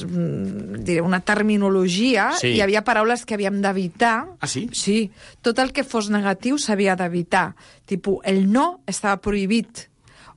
diré, una terminologia, sí. Hi havia paraules que havíem d'evitar. Ah, sí? Sí. Tot el que fos negatiu s'havia d'evitar. Tipo, el no estava prohibit,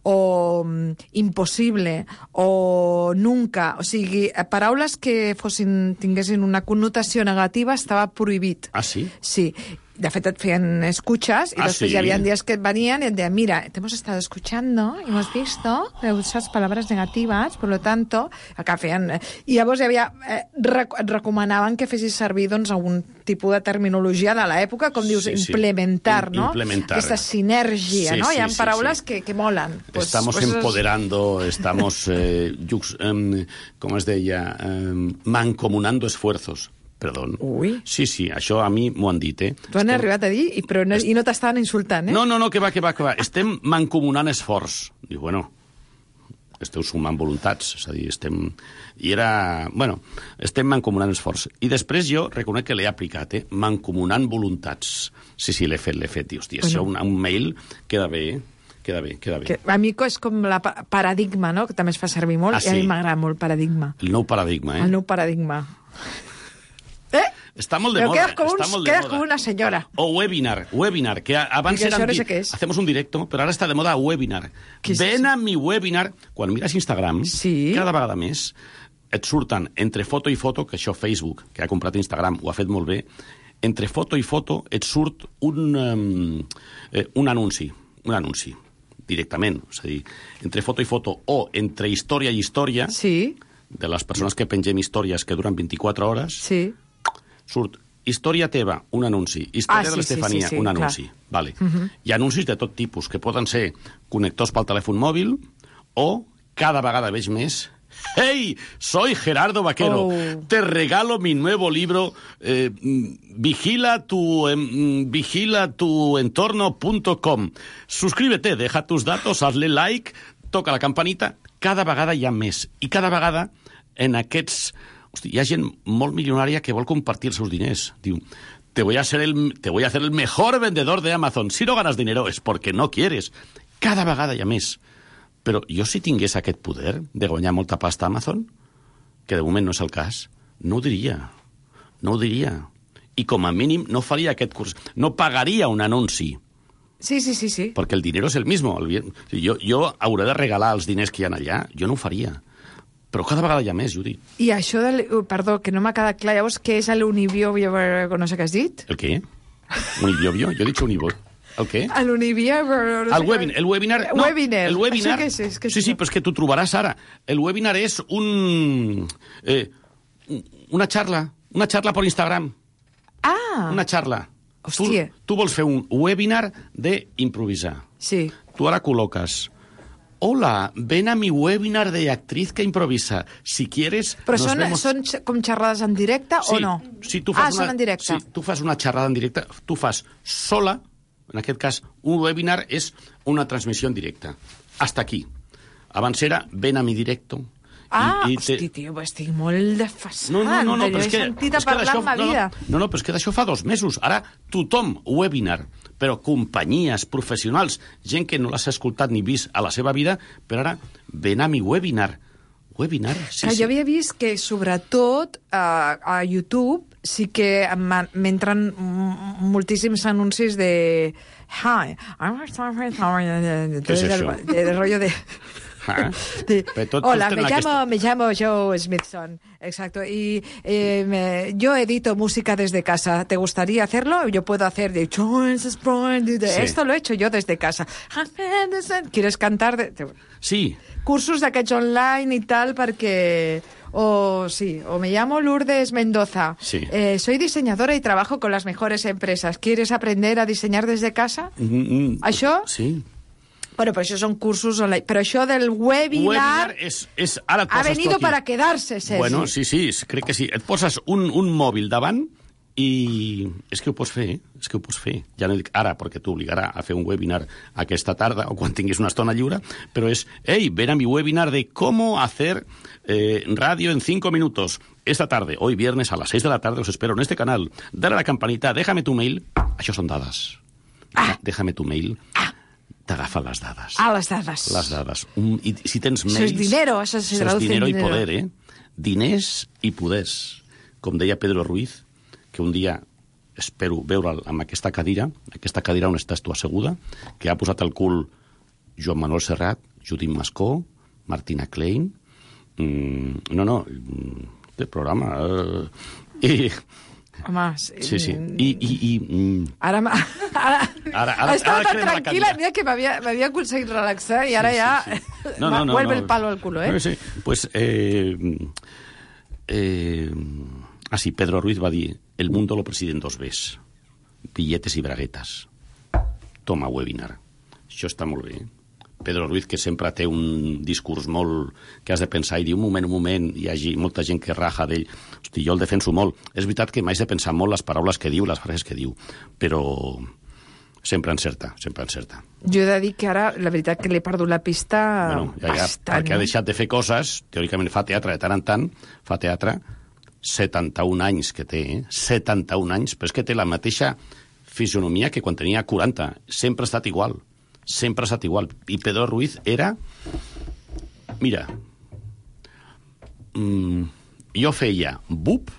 o um, impossible, o nunca. O sigui, paraules que fossin, tinguessin una connotació negativa estava prohibit. Ah, sí? Sí. De fet, et feien escuchas y ah, después sí? ya habían días que venían y te decían, mira, te hemos estado escuchando y hemos visto que usas palabras negativas, por lo tanto, acá feien... I llavors hi havia... Eh, rec et recomanaven que fessis servir doncs, algun tipus de terminologia de l'època, com dius, sí, sí. implementar, ¿no? Implementar. Aquesta sinergia, sí, ¿no? sí, Hi ha sí, paraules sí. que, que molen. Pues, estamos pues, empoderando, estamos, eh, jux, eh, com es deia, eh, mancomunando esfuerzos. Perdó. Ui. Sí, sí, això a mi m'ho han dit, eh? T'ho han Estem... arribat a dir i, però no, Est... i no t'estaven insultant, eh? No, no, no, que va, que va, que va. Estem mancomunant esforç. Diu, bueno, esteu sumant voluntats, és a dir, estem... I era... Bueno, estem mancomunant esforç. I després jo reconec que l'he aplicat, eh? Mancomunant voluntats. Sí, sí, l'he fet, l'he fet. I, hòstia, bueno. Això un, un mail queda bé, eh? Queda bé, queda bé. Que, a mi és com la pa paradigma, no?, que també es fa servir molt, ah, sí? I a mi m'agrada molt paradigma. El nou paradigma, eh? El nou paradigma. Eh? Está muy de Pero moda. Quedas como, está un, muy de quedas moda. como una señora. O webinar, webinar, que abans era... No sé qué es. Hacemos un directo, però ara està de moda webinar. Ven a mi webinar. Quan mires Instagram, sí. Cada vegada més et surten entre foto i foto, que això Facebook, que ha comprat Instagram, ho ha fet molt bé, entre foto i foto et surt un, um, eh, un anunci, un anunci, directament. És a dir, entre foto i foto o entre història i història, sí. De les persones que pengem històries que duren vint-i-quatre hores, sí. Surt història teva, un anunci, història ah, de l'Estefania, sí, sí, sí, un anunci. Vale. Uh -huh. Hi ha anuncis de tot tipus, que poden ser connectors pel telèfon mòbil o, cada vegada veig més, ¡hey! Soy Gerardo Vaquero. Oh. Te regalo mi nuevo libro, eh, vigila tu, eh, vigila tu entorno punto com. Suscríbete, deja tus datos, hazle like, toca la campanita. Cada vegada hi ha més. I cada vegada en aquests... Hosti, hi ha gent molt milionària que vol compartir els seus diners. Diu, te voy a, ser el, te voy a hacer el mejor vendedor de Amazon. Si no ganas dinero es porque no quieres. Cada vegada hi ha més. Però jo si tingués aquest poder de guanyar molta pasta a Amazon, que de moment no és el cas, no ho diria. No ho diria. I com a mínim no faria aquest curs. No pagaria un anunci. Sí, sí, sí, sí. Perquè el dinero és el mismo. El, jo, jo hauré de regalar els diners que hi ha allà. Jo no ho faria. Però cada vegada hi ha més, Judit. I això del... Perdó, que no m'ha quedat clar. Llavors, què és l'unibiobio? No sé què has dit? El què? Unibiobio? Jo he dit unibio. El què? L'unibio... No el, webin, el webinar... No, webinar. El webinar... Que és, és que sí, sí, però és que t'ho trobaràs ara. El webinar és un... Eh, una xarra. Una xarra per Instagram. Ah! Una xarra. Hòstia. Tu, tu vols fer un webinar d'improvisar. Sí. Tu ara col·loques... Hola, ven a mi webinar de actriz que improvisa. Si quieres... Però nos són, vemos... són com xerrades en directe sí, o no? Sí, tu fas ah, una, són en directe. Sí, tu fas una xerrada en directe, tu fas sola, en aquest cas, un webinar és una transmissió en directe. Hasta aquí. Abans era ven a mi directo. Ah, i, i hosti, te... tio, estic molt desfasat. No, no, no, no, no però és que... sentit a és que parlar en ma no, vida. No, no, però és que d'això fa dos mesos. Ara tothom, webinar, però companyies, professionals, gent que no l'has escoltat ni vist a la seva vida, però ara ven a mi webinar. Webinar, sí, que sí. Jo havia vist que, sobretot, a, a YouTube sí que m'entren moltíssims anuncis de... Hi, I'm... Què és això? De, de rollo de... Ah, de, tot, hola, tot me llamo, aquesta... me llamo Joe Smithson. Exacto. Y eh, me, yo edito música desde casa. ¿Te gustaría hacerlo? Yo puedo hacer de... Sí. Esto lo he hecho yo desde casa. ¿Quieres cantar? De... Sí. Cursos d'aquests online y tal perquè... O sí, o me llamo Lourdes Mendoza. Sí. Eh, soy diseñadora y trabajo con las mejores empresas. ¿Quieres aprender a diseñar desde casa? Mm, mm, ¿Això? Sí. Bueno, però això són cursos online. Però això del webinar... Webinar és... és ara ha venido para quedarse, Sergi. Bueno, sí, sí, crec que sí. Et poses un, un mòbil davant i és que ho pots fer, eh? És que ho pots fer. Ja no dic ara, perquè t'obligarà a fer un webinar aquesta tarda o quan tinguis una estona lliure, però és, hey, ven a mi webinar de cómo hacer eh, radio en cinco minutos. Esta tarde, hoy viernes a las seis de la tarde, os espero en este canal. Dale a la campanita, déjame tu mail. Això són dades. Ah. Déjame tu mail. Ah. T'agafa les dades. Ah, les dades. Les dades. Un, i si tens mails... Això és dinero, això se Això és traduce dinero en i dinero. poder, eh? Diners i poders. Com deia Pedro Ruiz, que un dia espero veure'l amb aquesta cadira, aquesta cadira on estàs tu asseguda, que ha posat el cul Joan Manuel Serrat, Judit Mascó, Martina Klein... Mm, no, no, té programa... Eh, I... Home, sí. Sí, sí. I... i, i mm, Ara... Ara, ara, ara estava ara tan crema la tranquil·la, cadira. mira que m'havia m'havia aconseguit relaxar i ara Sí, ja sí, sí. No, no, no, vuelve no. el palo al culo, eh? Sí, pues... Eh, eh, ah, sí, Pedro Ruiz va dir el mundo lo presiden dos ves, billetes i braguetes. Toma webinar. Això està molt bé, eh? Pedro Ruiz, que sempre té un discurs molt que has de pensar i dir, un moment, un moment, hi hagi molta gent que raja d'ell. Hosti, jo el defenso molt. És veritat que m'haig de pensar molt les paraules que diu, les frases que diu, però sempre encerta, sempre encerta. Jo he de dir que ara, la veritat que l'he perdut la pista Bueno, ja, ja, bastant. perquè ha deixat de fer coses, teòricament fa teatre de tant en tant, fa teatre, setanta-un anys que té, eh? setanta-un anys, però és que té la mateixa fisionomia que quan tenia quaranta. Sempre ha estat igual. Sempre ha estat igual. I Pedro Ruiz era... Mira, mm, jo feia bup,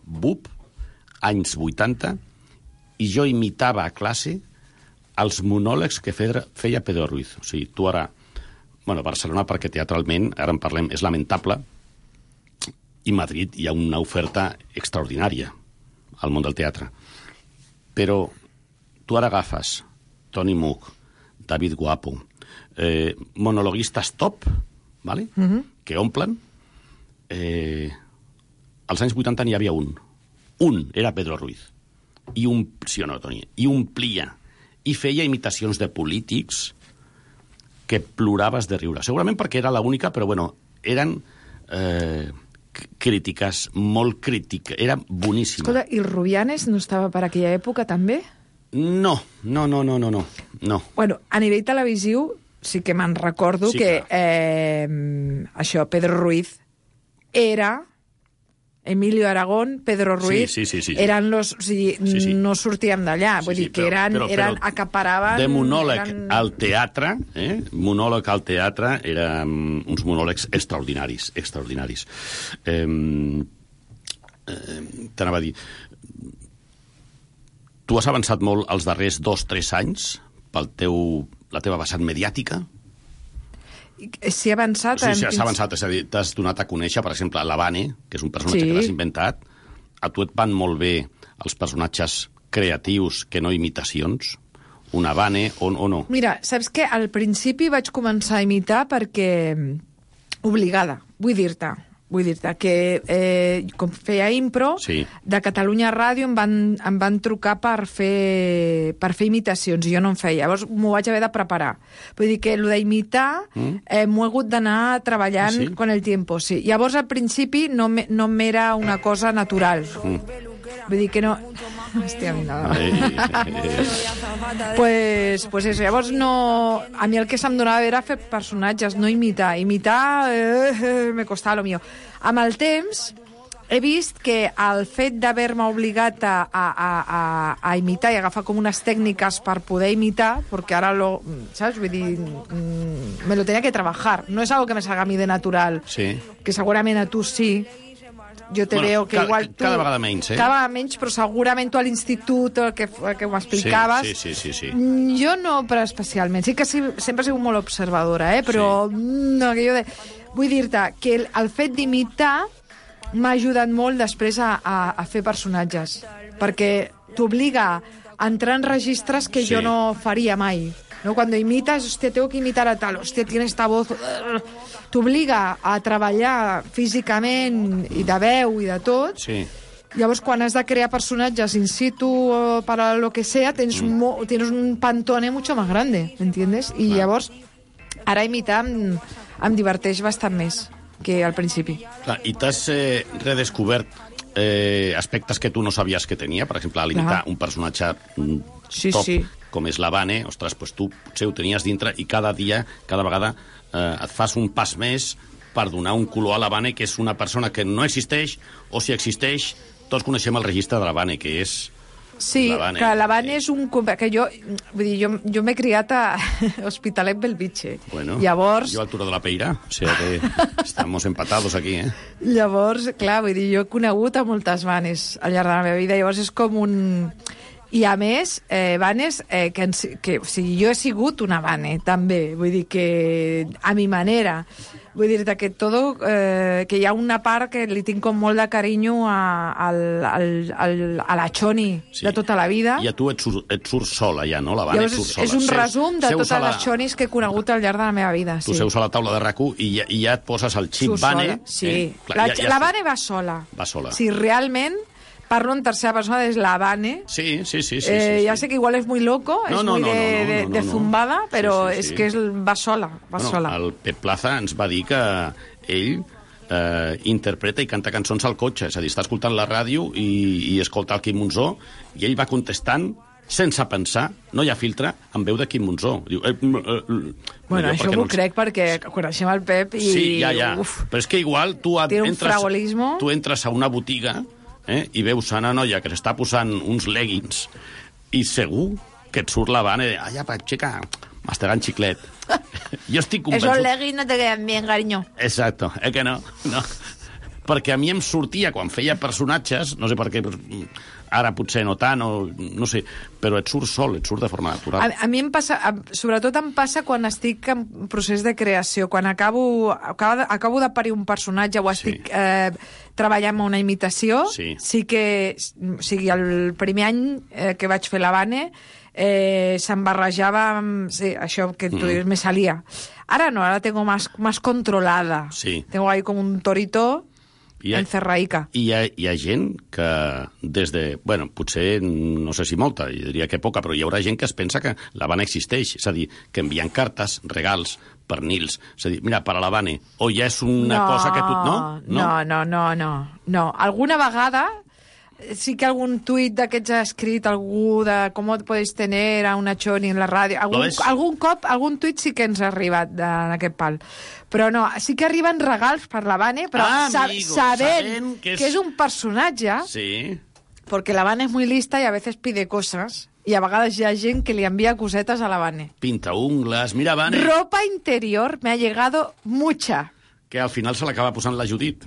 bup, anys vuitanta, i jo imitava a classe els monòlegs que feia Pedro Ruiz. O sigui, tu ara... Bueno, Barcelona, perquè teatralment, ara en parlem, és lamentable, i Madrid hi ha una oferta extraordinària al món del teatre. Però tu ara agafes Tony Mook, David Guapo, eh, monologuistes top, ¿vale? Uh-huh. Que omplen. Eh, als anys vuitanta n'hi havia un. Un era Pedro Ruiz. I un, sí o no, Toni? I omplia. I feia imitacions de polítics que ploraves de riure. Segurament perquè era l'única, però bueno, eren eh, crítiques, molt crítiques. Era boníssima. Escolta, i el Rubianes no estava per aquella època també? No, no, no, no, no, no. no. Bueno, a nivell televisiu sí que me'n recordo Sí, que eh, això, Pedro Ruiz era... Emilio Aragón, Pedro Ruiz, sí, sí, sí, sí, sí. eren los... O sigui, Sí, sí. no sortíem d'allà. Sí, Vull sí, dir que però- eren, però- però eren acaparaven... De monòleg eren... al teatre, eh? monòleg al teatre, eren uns monòlegs extraordinaris, extraordinaris. Eh, eh, T'anava a dir... Tu has avançat molt els darrers dos, tres anys pel teu, la teva vessant mediàtica? Sí, ha avançat. Sí, sí, en... s'ha avançat. És a dir, t'has donat a conèixer, per exemple, la Vane, que és un personatge Sí. que l'has inventat. A tu et van molt bé els personatges creatius que no imitacions? Una Vane o, o no? Mira, saps què? Al principi vaig començar a imitar perquè... obligada, vull dir-te. Vull dir-te que eh, com feia impro, Sí. de Catalunya Ràdio em van, em van trucar per fer, per fer imitacions, i jo no en feia. Llavors m'ho vaig haver de preparar. Vull dir que el d'imitar Mm. eh, m'ho he hagut d'anar treballant Ah, sí? con el tiempo. Sí. Llavors al principi no me- no m'era una cosa natural. Mm. Vull dir que no... Hòstia, mira. Ei, eh, Pues, pues eso, llavors no... A mi el que se'm donava era fer personatges, no imitar. Imitar eh, eh, me costava lo mío. Amb el temps he vist que el fet d'haver-me obligat a, a, a, a, a imitar i agafar com unes tècniques per poder imitar, perquè ara lo... ¿Sabes? Vull dir, mm, me lo tenía que trabajar. No es algo que me salga a mí de natural, sí. que segurament a tu sí. Jo te Bueno, veo que ca- igual tu... cada vegada menys, eh? Cada vegada menys, però segurament tu a l'institut, el que, el que m'explicaves... Sí, sí, sí, sí, sí. Mm, Jo no, però especialment. Sí que sí, sempre he sigut molt observadora, eh? Però sí. no, aquello de... Vull dir-te que el, el fet d'imitar m'ha ajudat molt després a, a, a fer personatges, perquè t'obliga a entrar en registres que Sí. jo no faria mai. ¿No? Cuando imitas, hostia, tengo que imitar a tal, hostia, tiene esta voz... T'obliga a treballar físicament i de veu i de tot. Sí. Llavors, quan has de crear personatges in situ o para lo que sea, tens, mm. mo, tienes un pantone mucho más grande, ¿entiendes? I llavors, ara imitar em, em diverteix bastant més que al principi. Clar, i t'has eh, redescobert eh, aspectes que tu no sabies que tenia? Per exemple, al imitar Clar. un personatge mm, Sí, top, sí. com és la Vane, ostres, doncs tu potser ho tenies dintre i cada dia, cada vegada, eh, et fas un pas més per donar un color a la Vane, que és una persona que no existeix, o si existeix, tots coneixem el registre de la Vane, que és... Sí, La Vane. que la Vane és un... Que jo, vull dir, jo, jo m'he criat a Hospitalet Belvitge. Bueno, Llavors, yo a altura de la Peira, o sea que estamos empatados aquí, eh? llavors, clar, vull dir, jo he conegut a moltes Vanes al llarg de la meva vida, llavors és com un... I a més, eh, Vanes, eh, que, ens, que o sigui, jo he sigut una Vane, també, vull dir que a mi manera, vull dir-te que todo, eh, que hi ha una part que li tinc com molt de carinyo a, al, al, al, a la Choni Sí. de tota la vida. I a tu et, sur, et surt sola ja, no? La Vane Llavors, et surt sola. és un Seus- resum de seus totes a la- les Chonis que he conegut al llarg de la meva vida. Tu Sí. seus a la taula de RAC1 i ja, i ja et poses el xip Surt Vane. sola, sí. Eh? Clar, la, ja, ja la sé. Vane va sola. Va sola. Si realment parlo en tercera persona, és la Vane. Sí, sí, sí. sí, eh, sí, ya sí. sé que igual es muy loco, No, es no, muy no, de, no, no, de, no, de no. zumbada, pero Sí, sí, es sí. que es, va sola, va Bueno, sola. el Pep Plaza ens va dir que ell eh, interpreta i canta cançons al cotxe, és a dir, està escoltant la ràdio i, i escolta el Quim Monzó, i ell va contestant sense pensar, no hi ha filtre, en veu de Quim Monzó. Diu, eh, eh, eh, Bueno, allò això perquè m'ho no ens- crec perquè coneixem el Pep i... Sí, ja, ja. Uf, Però és que igual tu, et Té un entres, fragolismo. tu entres a una botiga eh, i veus a una noia que s'està posant uns leggings i segur que et surt la Vane de ai, apa, xica, mastegant xiclet. Jo estic esos convençut... leggings no te quedan bien, cariño. Exacto, eh que no? No. Perquè a mi em sortia, quan feia personatges, no sé per què, ara potser no tant, o no sé, però et surt sol, et surt de forma natural. A, a mi em passa, a, sobretot em passa quan estic en procés de creació, quan acabo, acabo, de, acabo de parir un personatge o estic sí. eh, treballant en una imitació, Sí. sí que, o sigui, el primer any eh, que vaig fer la Vane, eh, se'm barrejava amb, sí, això que tu Mm. dius, me salía. Ara no, ahora tengo más, más controlada. Sí. Tengo ahí como un torito I hi ha- encerraica. I hi ha, hi ha gent que des de... Bueno, potser, no sé si molta, jo diria que poca, però hi haurà gent que es pensa que la Vane existeix. És a dir, que envien cartes, regals, pernils. És a dir, mira, per a la Vane, o ja és una no, cosa que tu... No? No, no, no, no, no. Alguna vegada sí que algun tuit d'aquests ha escrit algú de com podeu tenir a una Choni en la ràdio. Algun, ves? algun cop, algun tuit sí que ens ha arribat en aquest pal. Però no, sí que arriben regals per la Vane, però Ah, sa amigo, sabent, sabent que és- que és un personatge, Sí. porque la Vane es muy lista y a veces pide cosas, y a vegades hi ha gent que li envia cosetes a la Vane. Pinta ungles, mira, Vane, Ropa interior me ha llegado mucha. que al final se l'acaba posant la Judit.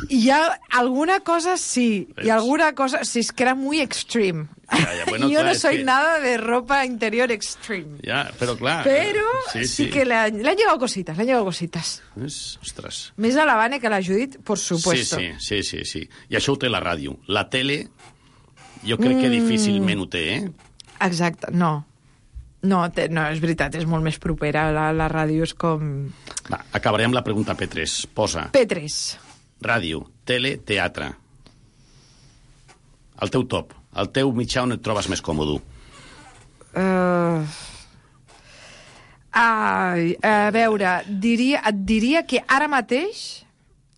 hi ha alguna cosa sí, y alguna cosa... Sí, es que era muy extreme. Ya, ya, bueno, Yo clar, no és soy que- nada de ropa interior extreme. Ya, pero claro. Pero sí, sí, sí. que le han, le han llegado cositas, le han llegado cositas. És, ostres. Més a la Vane que a la Judit, por supuesto. Sí, sí, sí, sí, sí. I això ho té la ràdio. La tele, jo crec que Mm. difícilment ho té, eh? Exacte, no. No, té, no, és veritat, és molt més propera. La, la ràdio és com... Va, acabaré amb la pregunta P tres. Posa. P tres. Ràdio, tele, teatre. El teu top. El teu mitjà on et trobes més còmode. Uh... Ai, a veure, diria, et diria que ara mateix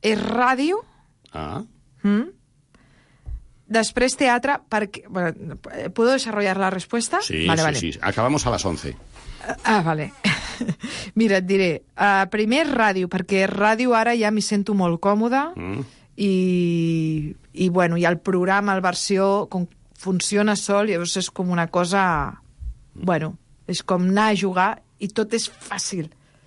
és ràdio, Ah, mm? Després teatre, perquè... Bueno, ¿puedo desarrollar la respuesta? sí, vale, sí, vale. sí. Acabamos a les once. Ah, vale. Mira, et diré. Uh, primer, ràdio, perquè ràdio ara ja m'hi sento molt còmoda Mm. i, i, bueno, i el programa, el versió, com funciona sol, llavors és com una cosa... Bueno, és com anar a jugar i tot és fàcil.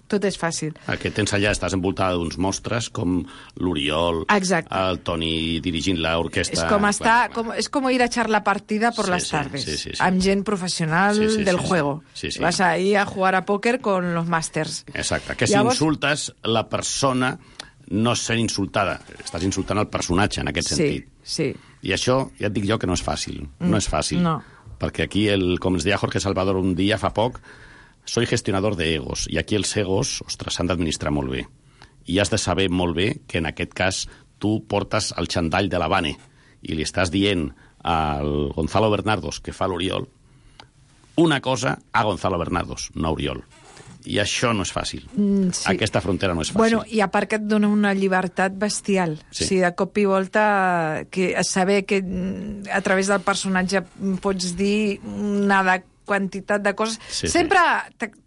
Tot és fàcil. El que tens allà, estàs envoltada d'uns mostres com l'Oriol, Exacte. el Toni dirigint l'orquestra... És com, estar, Clar, com, és com ir a echar la partida por Sí, las sí, tardes, sí, sí, sí. amb gent professional Sí, sí, del sí, sí. juego. Sí, sí. Vas ahí a jugar a póker con los masters. Exacte, que si Llavors- insultes la persona no és ser insultada, estàs insultant el personatge en aquest Sí, sentit. sí. I això, ja et dic jo que no és fàcil, no és fàcil. no. Perquè aquí, el, com ens deia Jorge Salvador un dia fa poc, soy gestionador de egos, i aquí els egos, ostres, s'han d'administrar molt bé. I has de saber molt bé que en aquest cas tu portes el xandall de l'Havane i li estàs dient al Gonzalo Bernardos, que fa l'Oriol, una cosa a Gonzalo Bernardos, no a Oriol. I això no és fàcil. Mm, sí. Aquesta frontera no és fàcil. Bueno, i a part que et dona una llibertat bestial. Sí. O sigui, de cop i volta, que saber que mm, a través del personatge pots dir una de quantitat de coses... Sí, sí. Sempre t'ex-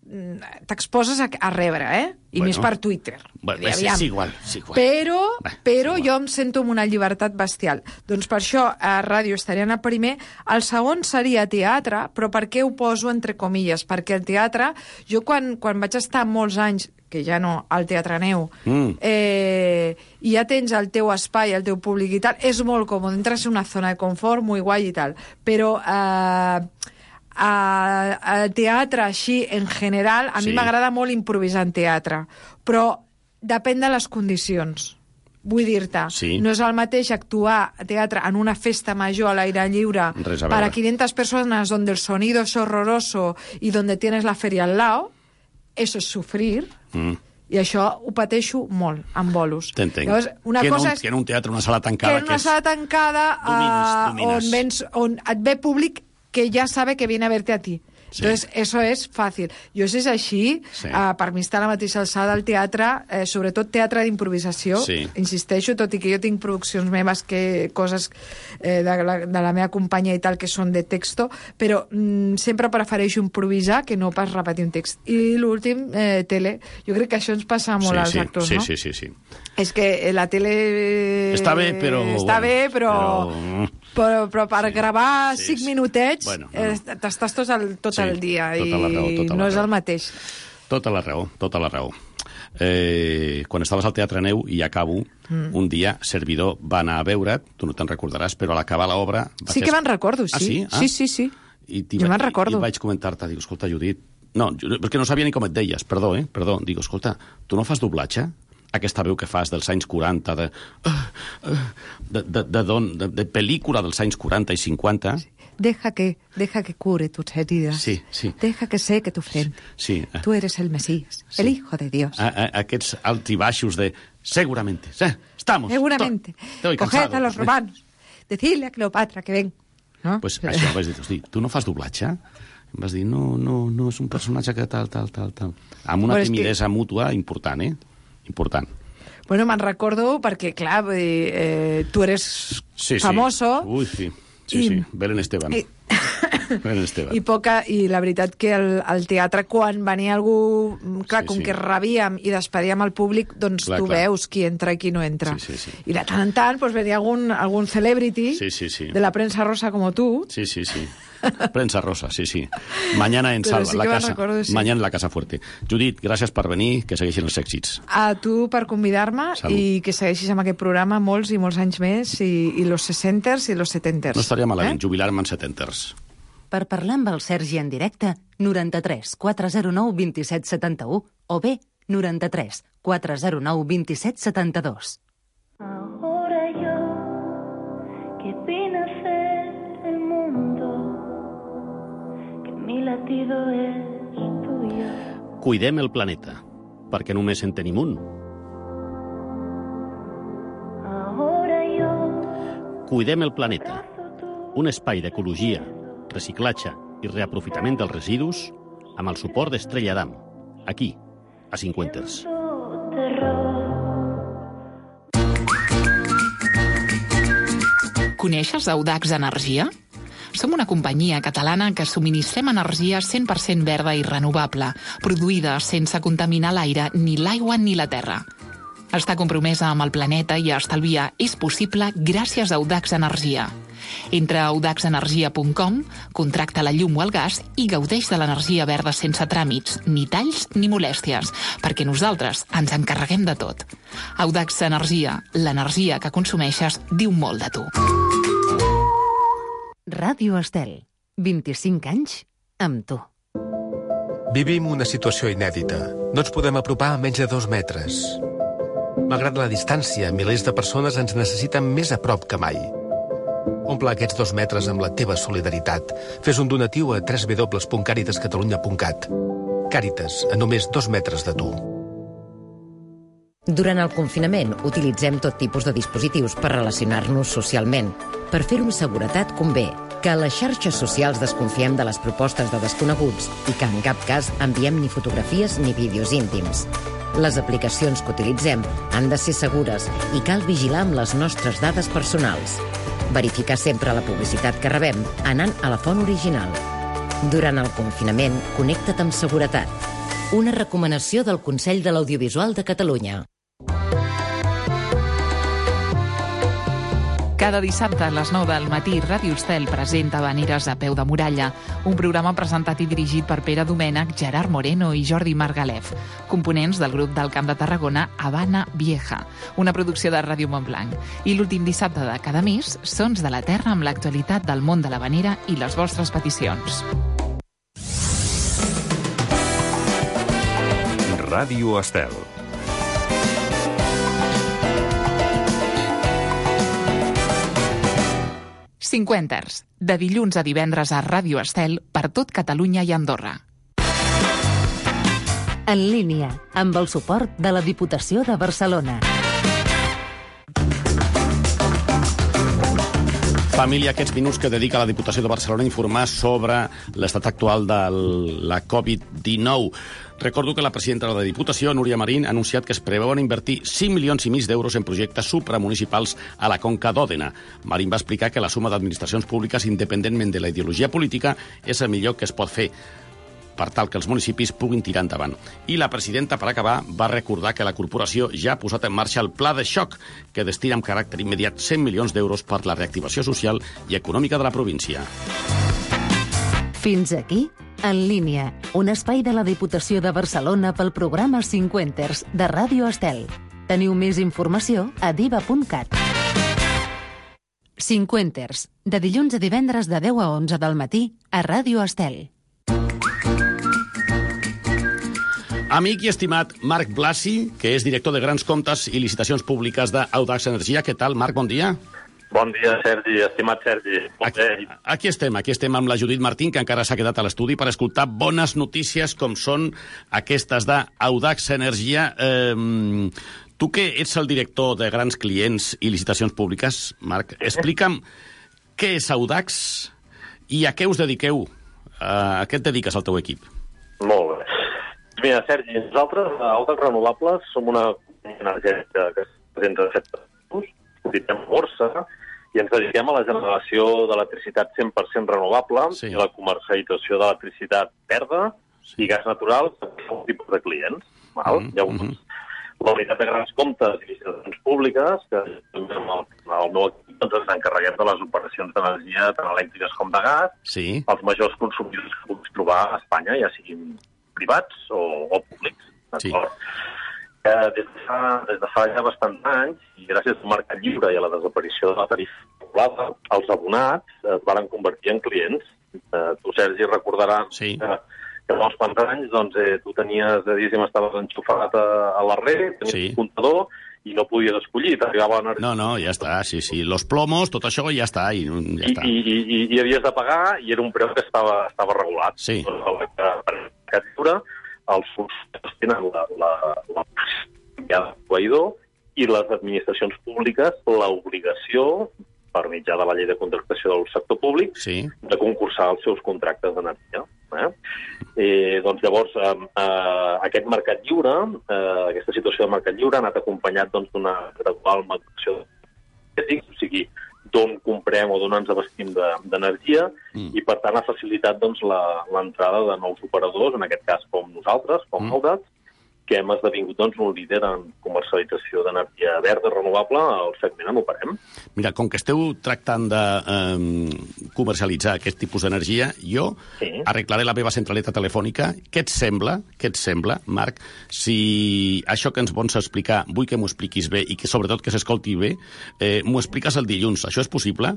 t'exposes a, a rebre, eh? I Bueno. més per Twitter. Bueno, I és, aviam. és igual, és igual. Però, Bé, però és igual. jo em sento amb una llibertat bestial. Doncs per això a ràdio estarien a primer. El segon seria teatre, però per què ho poso entre comilles? Perquè el teatre, jo quan, quan vaig estar molts anys, que ja no, al Teatre Neu, Mm. eh, i ja tens el teu espai, el teu públic i tal, és molt còmode, entres en una zona de confort, muy guai i tal. Però... Eh, a, al teatre així en general a Sí. mi m'agrada molt improvisar en teatre, però depèn de les condicions. Vull dir-te, Sí. no és el mateix actuar a teatre en una festa major a l'aire lliure Res a para veure. quinientas personas donde el sonido es horroroso y donde tienes la feria al lado, eso es sufrir, Mm. i això ho pateixo molt, amb bolos. T'entenc. Llavors, una que, en cosa un, és que en un teatre, una sala que tancada... en una és... sala tancada Domines, uh, domines. On, vens, on et ve públic que ya sabe que viene a verte a ti. Sí. Entonces, eso es fàcil. Jo, si és així, Sí. uh, per mi està a la mateixa alçada del teatre, eh, sobretot teatre d'improvisació. Sí. Insisteixo, tot i que jo tinc produccions meves, que coses eh, de, la, de la meva companya i tal, que són de texto, però mm, sempre prefereixo improvisar que no pas repetir un text. I l'últim, eh, tele. Jo crec que això ens passa molt sí, als sí, actors, sí, no? sí, sí, sí. És que eh, la tele... Està bé, però... Està bueno, bé, però... però- Però, però per Sí. gravar Sí, cinc sí. minutets Bueno, no. eh, t'estàs tot el, tot Sí, el dia tota la raó, i tota la no és raó. el mateix. Tota la raó, tota la raó. Eh, quan estaves al Teatre Neu, i acabo, mm. un dia, servidor va anar a veure't, tu no te'n recordaràs, però a l'acabar l'obra... va Sí fer- que me'n recordo, sí. Ah, sí? Ah. Sí, sí, sí. I t'hi Jo va- me'n recordo. I vaig comentar-te, dic, escolta, Judit... No, jo- perquè no sabia ni com et deies, perdó, eh? Perdó. Dic, escolta, tu no fas doblatge? Aquesta veu que fas dels anys quaranta, de, de, de, de, don, de, de pel·lícula dels anys quaranta i cinquanta... Deja que, deja que cure tus heridas. Sí, sí. Deja que seque tu frente. Sí, eh, Tú eres el Mesías, Sí. el Hijo de Dios. a, a, aquests alts i baixos de... Seguramente, sí, estamos. Seguramente. to- Estoy Coged cansado. a los romanos. Decidle a Cleopatra que ven. ¿No? Pues això, vaig dir, hosti, tu no fas doblatge? Em vas dir, no, no, no, és un personatge que tal, tal, tal, tal. Amb una Bueno, és que- timidesa mútua important, eh? Important. Bueno, me'n recordo perquè, clar, vull dir, eh, tu eres Sí, sí. famoso. Ui, sí. Sí, I- sí. Belén Esteban. I, Ben Esteban. I, poca, I la veritat que el, el teatre, quan venia algú... Clar, Sí, com sí. que rebíem i despedíem el públic, doncs Clar, tu clar. veus qui entra i qui no entra. Sí, sí, sí. I de tant en tant pues, venia algun, algun celebrity Sí, sí, sí. de la prensa rosa como tú. Sí, sí, sí. Prensa rosa, sí, sí. Mañana en Pero Salva, sí la que me'n casa. recordo, sí. Mañana en la Casa Fuerte. Judit, gràcies per venir, que segueixin els èxits. A tu per convidar-me Salut. i que segueixis amb aquest programa molts i molts anys més i, i los sesenters i los setenters. No estaria malament, eh? jubilar-me en setenters. Per parlar amb el Sergi en directe, noranta-tres quatre zero nou vint set setanta-u o bé noranta-tres quatre zero nou vint set setanta-dos. Ahora yo, que vine a ser el mundo, que mi latido es tuyo. Cuidem el planeta, perquè només en tenim un. Ahora yo, Cuidem el planeta, un espai d'ecologia, reciclatge i reaprofitament dels residus amb el suport d'Estrella Damm, aquí, a Cinquenters. Coneixes Audax Energia? Som una companyia catalana que subministrem energia cent per cent verda i renovable, produïda sense contaminar l'aire, ni l'aigua ni la terra. Està compromesa amb el planeta i estalviar és possible gràcies a Audax Energia. Entra a audax energia punt com, contracta la llum o el gas i gaudeix de l'energia verda sense tràmits, ni talls ni molèsties, perquè nosaltres ens encarreguem de tot. Audax Energia, l'energia que consumeixes diu molt de tu. Ràdio Estel, vint-i-cinc anys amb tu. Vivim una situació inèdita. No ens podem apropar a menys de dos metres. Malgrat la distància, milers de persones ens necessiten més a prop que mai. Omple aquests dos metres amb la teva solidaritat. Fes un donatiu a w w w punt càritas catalunya punt cat. Càritas, a només dos metres de tu. Durant el confinament, utilitzem tot tipus de dispositius per relacionar-nos socialment. Per fer-ho amb seguretat convé que a les xarxes socials desconfiem de les propostes de desconeguts i que en cap cas enviem ni fotografies ni vídeos íntims. Les aplicacions que utilitzem han de ser segures i cal vigilar amb les nostres dades personals. Verificar sempre la publicitat que rebem anant a la font original. Durant el confinament, connecta't amb seguretat. Una recomanació del Consell de l'Audiovisual de Catalunya. Cada dissabte a les nou del matí, Ràdio Estel presenta Habaneres a peu de muralla, un programa presentat i dirigit per Pere Domènech, Gerard Moreno i Jordi Margalef, components del grup del Camp de Tarragona Habana Vieja, una producció de Ràdio Montblanc. I l'últim dissabte de cada mes, Sons de la Terra amb l'actualitat del món de l'habanera i les vostres peticions. Ràdio Estel. Cinquenters, de dilluns a divendres a Ràdio Estel per tot Catalunya i Andorra. En línia, amb el suport de la Diputació de Barcelona. Família, aquests minuts que dedica la Diputació de Barcelona a informar sobre l'estat actual de la covid dinou. Recordo que la presidenta de la Diputació, Núria Marín, ha anunciat que es preveuen invertir cinc milions i mig d'euros en projectes supramunicipals a la Conca d'Òdena. Marín va explicar que la suma d'administracions públiques, independentment de la ideologia política, és el millor que es pot fer per tal que els municipis puguin tirar endavant. I la presidenta, per acabar, va recordar que la corporació ja ha posat en marxa el pla de xoc, que destina amb caràcter immediat cent milions d'euros per la reactivació social i econòmica de la província. Fins aquí, En línia, un espai de la Diputació de Barcelona pel programa Cinquenters de Ràdio Estel. Teniu més informació a diva punt cat. Cinquenters, de dilluns a divendres de deu a onze del matí a Ràdio Estel. Amic i estimat Marc Blasi, que és director de Grans Comptes i Licitacions Públiques d'Audax Energia. Què tal, Marc? Bon dia. Bon dia, Sergi, estimat Sergi. Bon aquí, aquí estem, aquí estem amb la Judit Martín, que encara s'ha quedat a l'estudi per escoltar bones notícies com són aquestes d'Audax Energia. Eh, tu que ets el director de Grans Clients i Licitacions Públiques, Marc, explica'm què és Audax i a què us dediqueu, a què et dediques al teu equip? Molt bé. Mira, Sergi, nosaltres, a Audax Renovables, som una companyia energètica que es presenta de set països, cotitzem a borsa i ens dediquem a la generació d'electricitat cent per cent renovable sí. i la comercialització d'electricitat verda sí. i gas natural per un tipus de clients. Val? Mm -hmm. Llavors, la unitat de grans comptes i licitacions públiques, que amb el, el meu equip doncs, ens encarreguem de les operacions d'energia tant elèctriques com de gas, sí. els majors consumidors que puguis trobar a Espanya, ja siguin privats o, o públics. Sí. Eh, des, de fa, des de fa ja bastants anys, i gràcies al mercat lliure i a la desaparició de la tarifa regulada, els abonats es van convertir en clients. Eh, tu, Sergi, recordaràs sí. que, que fa uns quants anys doncs, eh, tu tenies, diguéssim, estaves enxufat a, a la red, tenies sí. un comptador, i no podies escollir, t'arribava l'energia. No, no, ja està, sí, sí. Los plomos, tot això ja està. I, ja està. I, i, i, i havies de pagar, i era un preu que estava, estava regulat. Sí. Doncs, per mercat lliure, els funcionaris tenen la, la, la possibilitat de proveïdor i les administracions públiques l'obligació, per mitjà de la llei de contractació del sector públic, sí. de concursar els seus contractes d'energia. Eh? Eh, doncs llavors, eh, eh, aquest mercat lliure, eh, aquesta situació de mercat lliure ha anat acompanyat doncs, d'una gradual maduració d'ètics, o sigui, d'on comprem o d'on ens abastim d'energia, de, mm. i per tant ha facilitat doncs, l'entrada de nous operadors, en aquest cas com nosaltres, com mm. Audax, que hem esdevingut doncs, un líder en comercialització d'energia verda renovable al segment on operem. Mira, com que esteu tractant de eh, comercialitzar aquest tipus d'energia, jo sí. arreglaré la meva centraleta telefònica. Què et sembla, què et sembla, Marc, si això que ens vols explicar, vull que m'ho expliquis bé i que sobretot que s'escolti bé, eh, m'ho expliques el dilluns. Això és possible?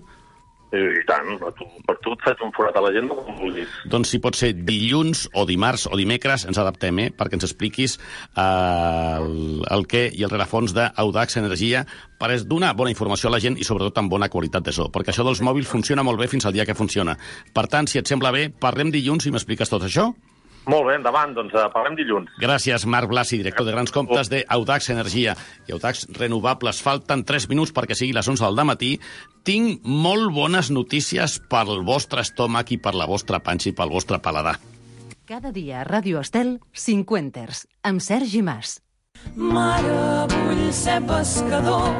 I tant, per tu, per tu et faig un forat a l'agenda com vulguis. Doncs si pot ser dilluns o dimarts o dimecres, ens adaptem, eh? perquè ens expliquis eh, el, el què i el rerefons d'Audax Energia per donar bona informació a la gent i sobretot amb bona qualitat de so, perquè això dels mòbils funciona molt bé fins al dia que funciona. Per tant, si et sembla bé, parlem dilluns i m'expliques tot això? Molt bé, endavant, doncs uh, parlem dilluns. Gràcies, Marc Blasi, director de grans comptes d'Audax Energia i Audax Renovables. Falten tres minuts perquè sigui les onze del dematí. Tinc molt bones notícies pel vostre estómac i per la vostra panxa i pel vostre paladar. Cada dia a Ràdio Estel, Cinquenters, amb Sergi Mas. Mare, vull ser pescador,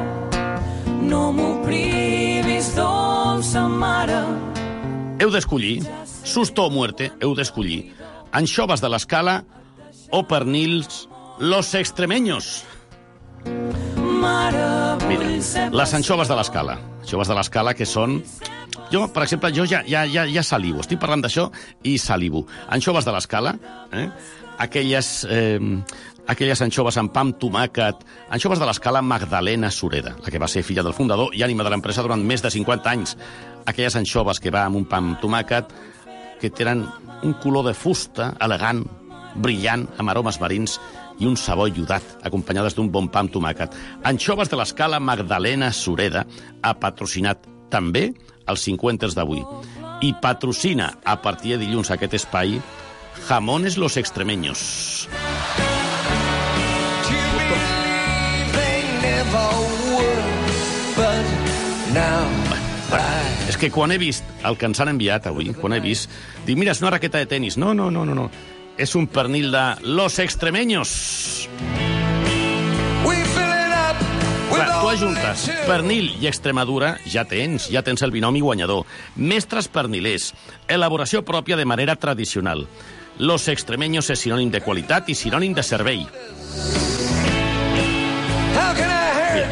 no m'ho privis, dolça mare. Heu d'escollir, susto o muerte, heu d'escollir anxoves de l'Escala o pernils los extremeños. Mira, les anxoves de l'Escala. Anxoves de l'Escala que són... Jo, per exemple, jo ja, ja, ja, ja salivo. Estic parlant d'això i salivo. Anxoves de l'Escala, eh? aquelles, eh, aquelles anxoves amb pa amb tomàquet, anxoves de l'Escala Magdalena Sureda, la que va ser filla del fundador i ànima de l'empresa durant més de cinquanta anys. Aquelles anxoves que va amb un pa amb tomàquet, que tenen un color de fusta elegant, brillant, amb aromes marins i un sabor iodat, acompanyades d'un bon pa amb tomàquet. Anxoves de l'Escala Magdalena Sureda ha patrocinat també els Cinquenters d'avui. I patrocina, a partir de dilluns, aquest espai, Jamones Los Extremeños. És que quan he vist el que ens han enviat avui, quan he vist, dic, mira, és una raqueta de tenis. No, no, no, no, no. És un pernil de Los Extremeños. Clar, tu ajuntes pernil i Extremadura, ja tens, ja tens el binomi guanyador. Mestres pernilers, elaboració pròpia de manera tradicional. Los Extremeños és sinònim de qualitat i sinònim de servei. Mira,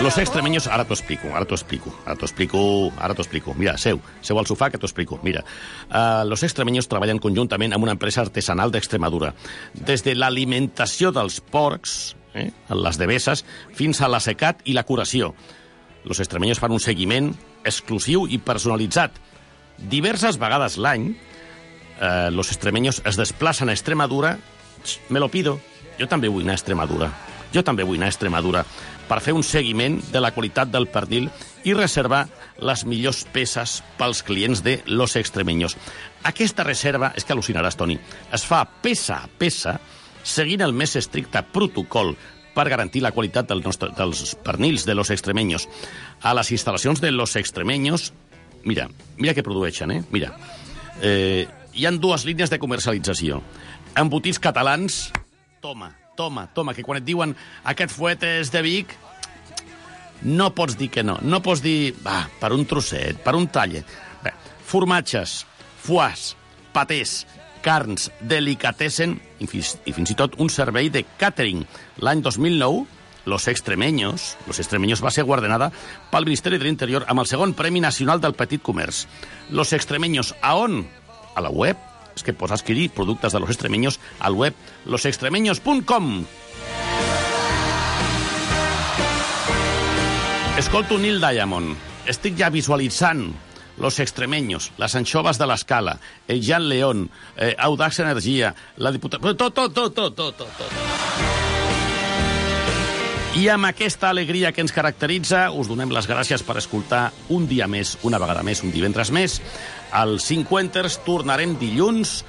Los Extremeños, ara t'ho explico, ara t'ho explico, ara t'ho explico, ara t'ho explico. Mira, seu, seu al sofà que t'ho explico. Mira, uh, Los Extremeños treballen conjuntament amb una empresa artesanal d'Extremadura. Des de l'alimentació dels porcs, eh, les devesses, fins a l'assecat i la curació. Los Extremeños fan un seguiment exclusiu i personalitzat. Diverses vegades l'any, eh, Los Extremeños es desplacen a Extremadura. Me lo pido. Jo també vull anar a Extremadura. Jo també vull anar a Extremadura per fer un seguiment de la qualitat del pernil i reservar les millors peces pels clients de Los Extremeños. Aquesta reserva, és que al·lucinaràs, Toni, es fa peça a peça, seguint el més estricte protocol per garantir la qualitat del nostre, dels pernils de Los Extremeños. A les instal·lacions de Los Extremeños, mira, mira què produeixen, eh? Mira, eh, hi ha dues línies de comercialització. Embotits catalans, toma, Toma, toma, que quan et diuen aquest fuet és de Vic, No pots dir que no. No pots dir, va, per un trosset, per un talle. Bé, formatges, foies, patés, carns, delicatessen i fins, i fins i tot un servei de catering. L'any dos mil nou, Los Extremeños, Los Extremeños va ser guardonada pel Ministeri de l'Interior amb el segon Premi Nacional del Petit Comerç. Los Extremeños, a on? A la web. És que pots adquirir productes de Los Extremeños al web los extremeños punt com. Escolto Neil Diamond. Estic ja visualitzant Los Extremeños, les anxoves de l'Escala, el Jan León, eh, Audax Energia, la diputada... Tot, tot, tot, tot, tot, tot. I amb aquesta alegria que ens caracteritza, us donem les gràcies per escoltar un dia més, una vegada més, un divendres més. Al Cinquenters tornarem dilluns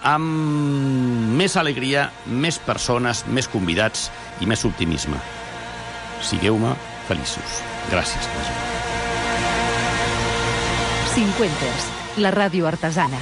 amb més alegria, més persones, més convidats i més optimisme. Sigueu-me feliços. Gràcies. Cinquenters, la ràdio artesana.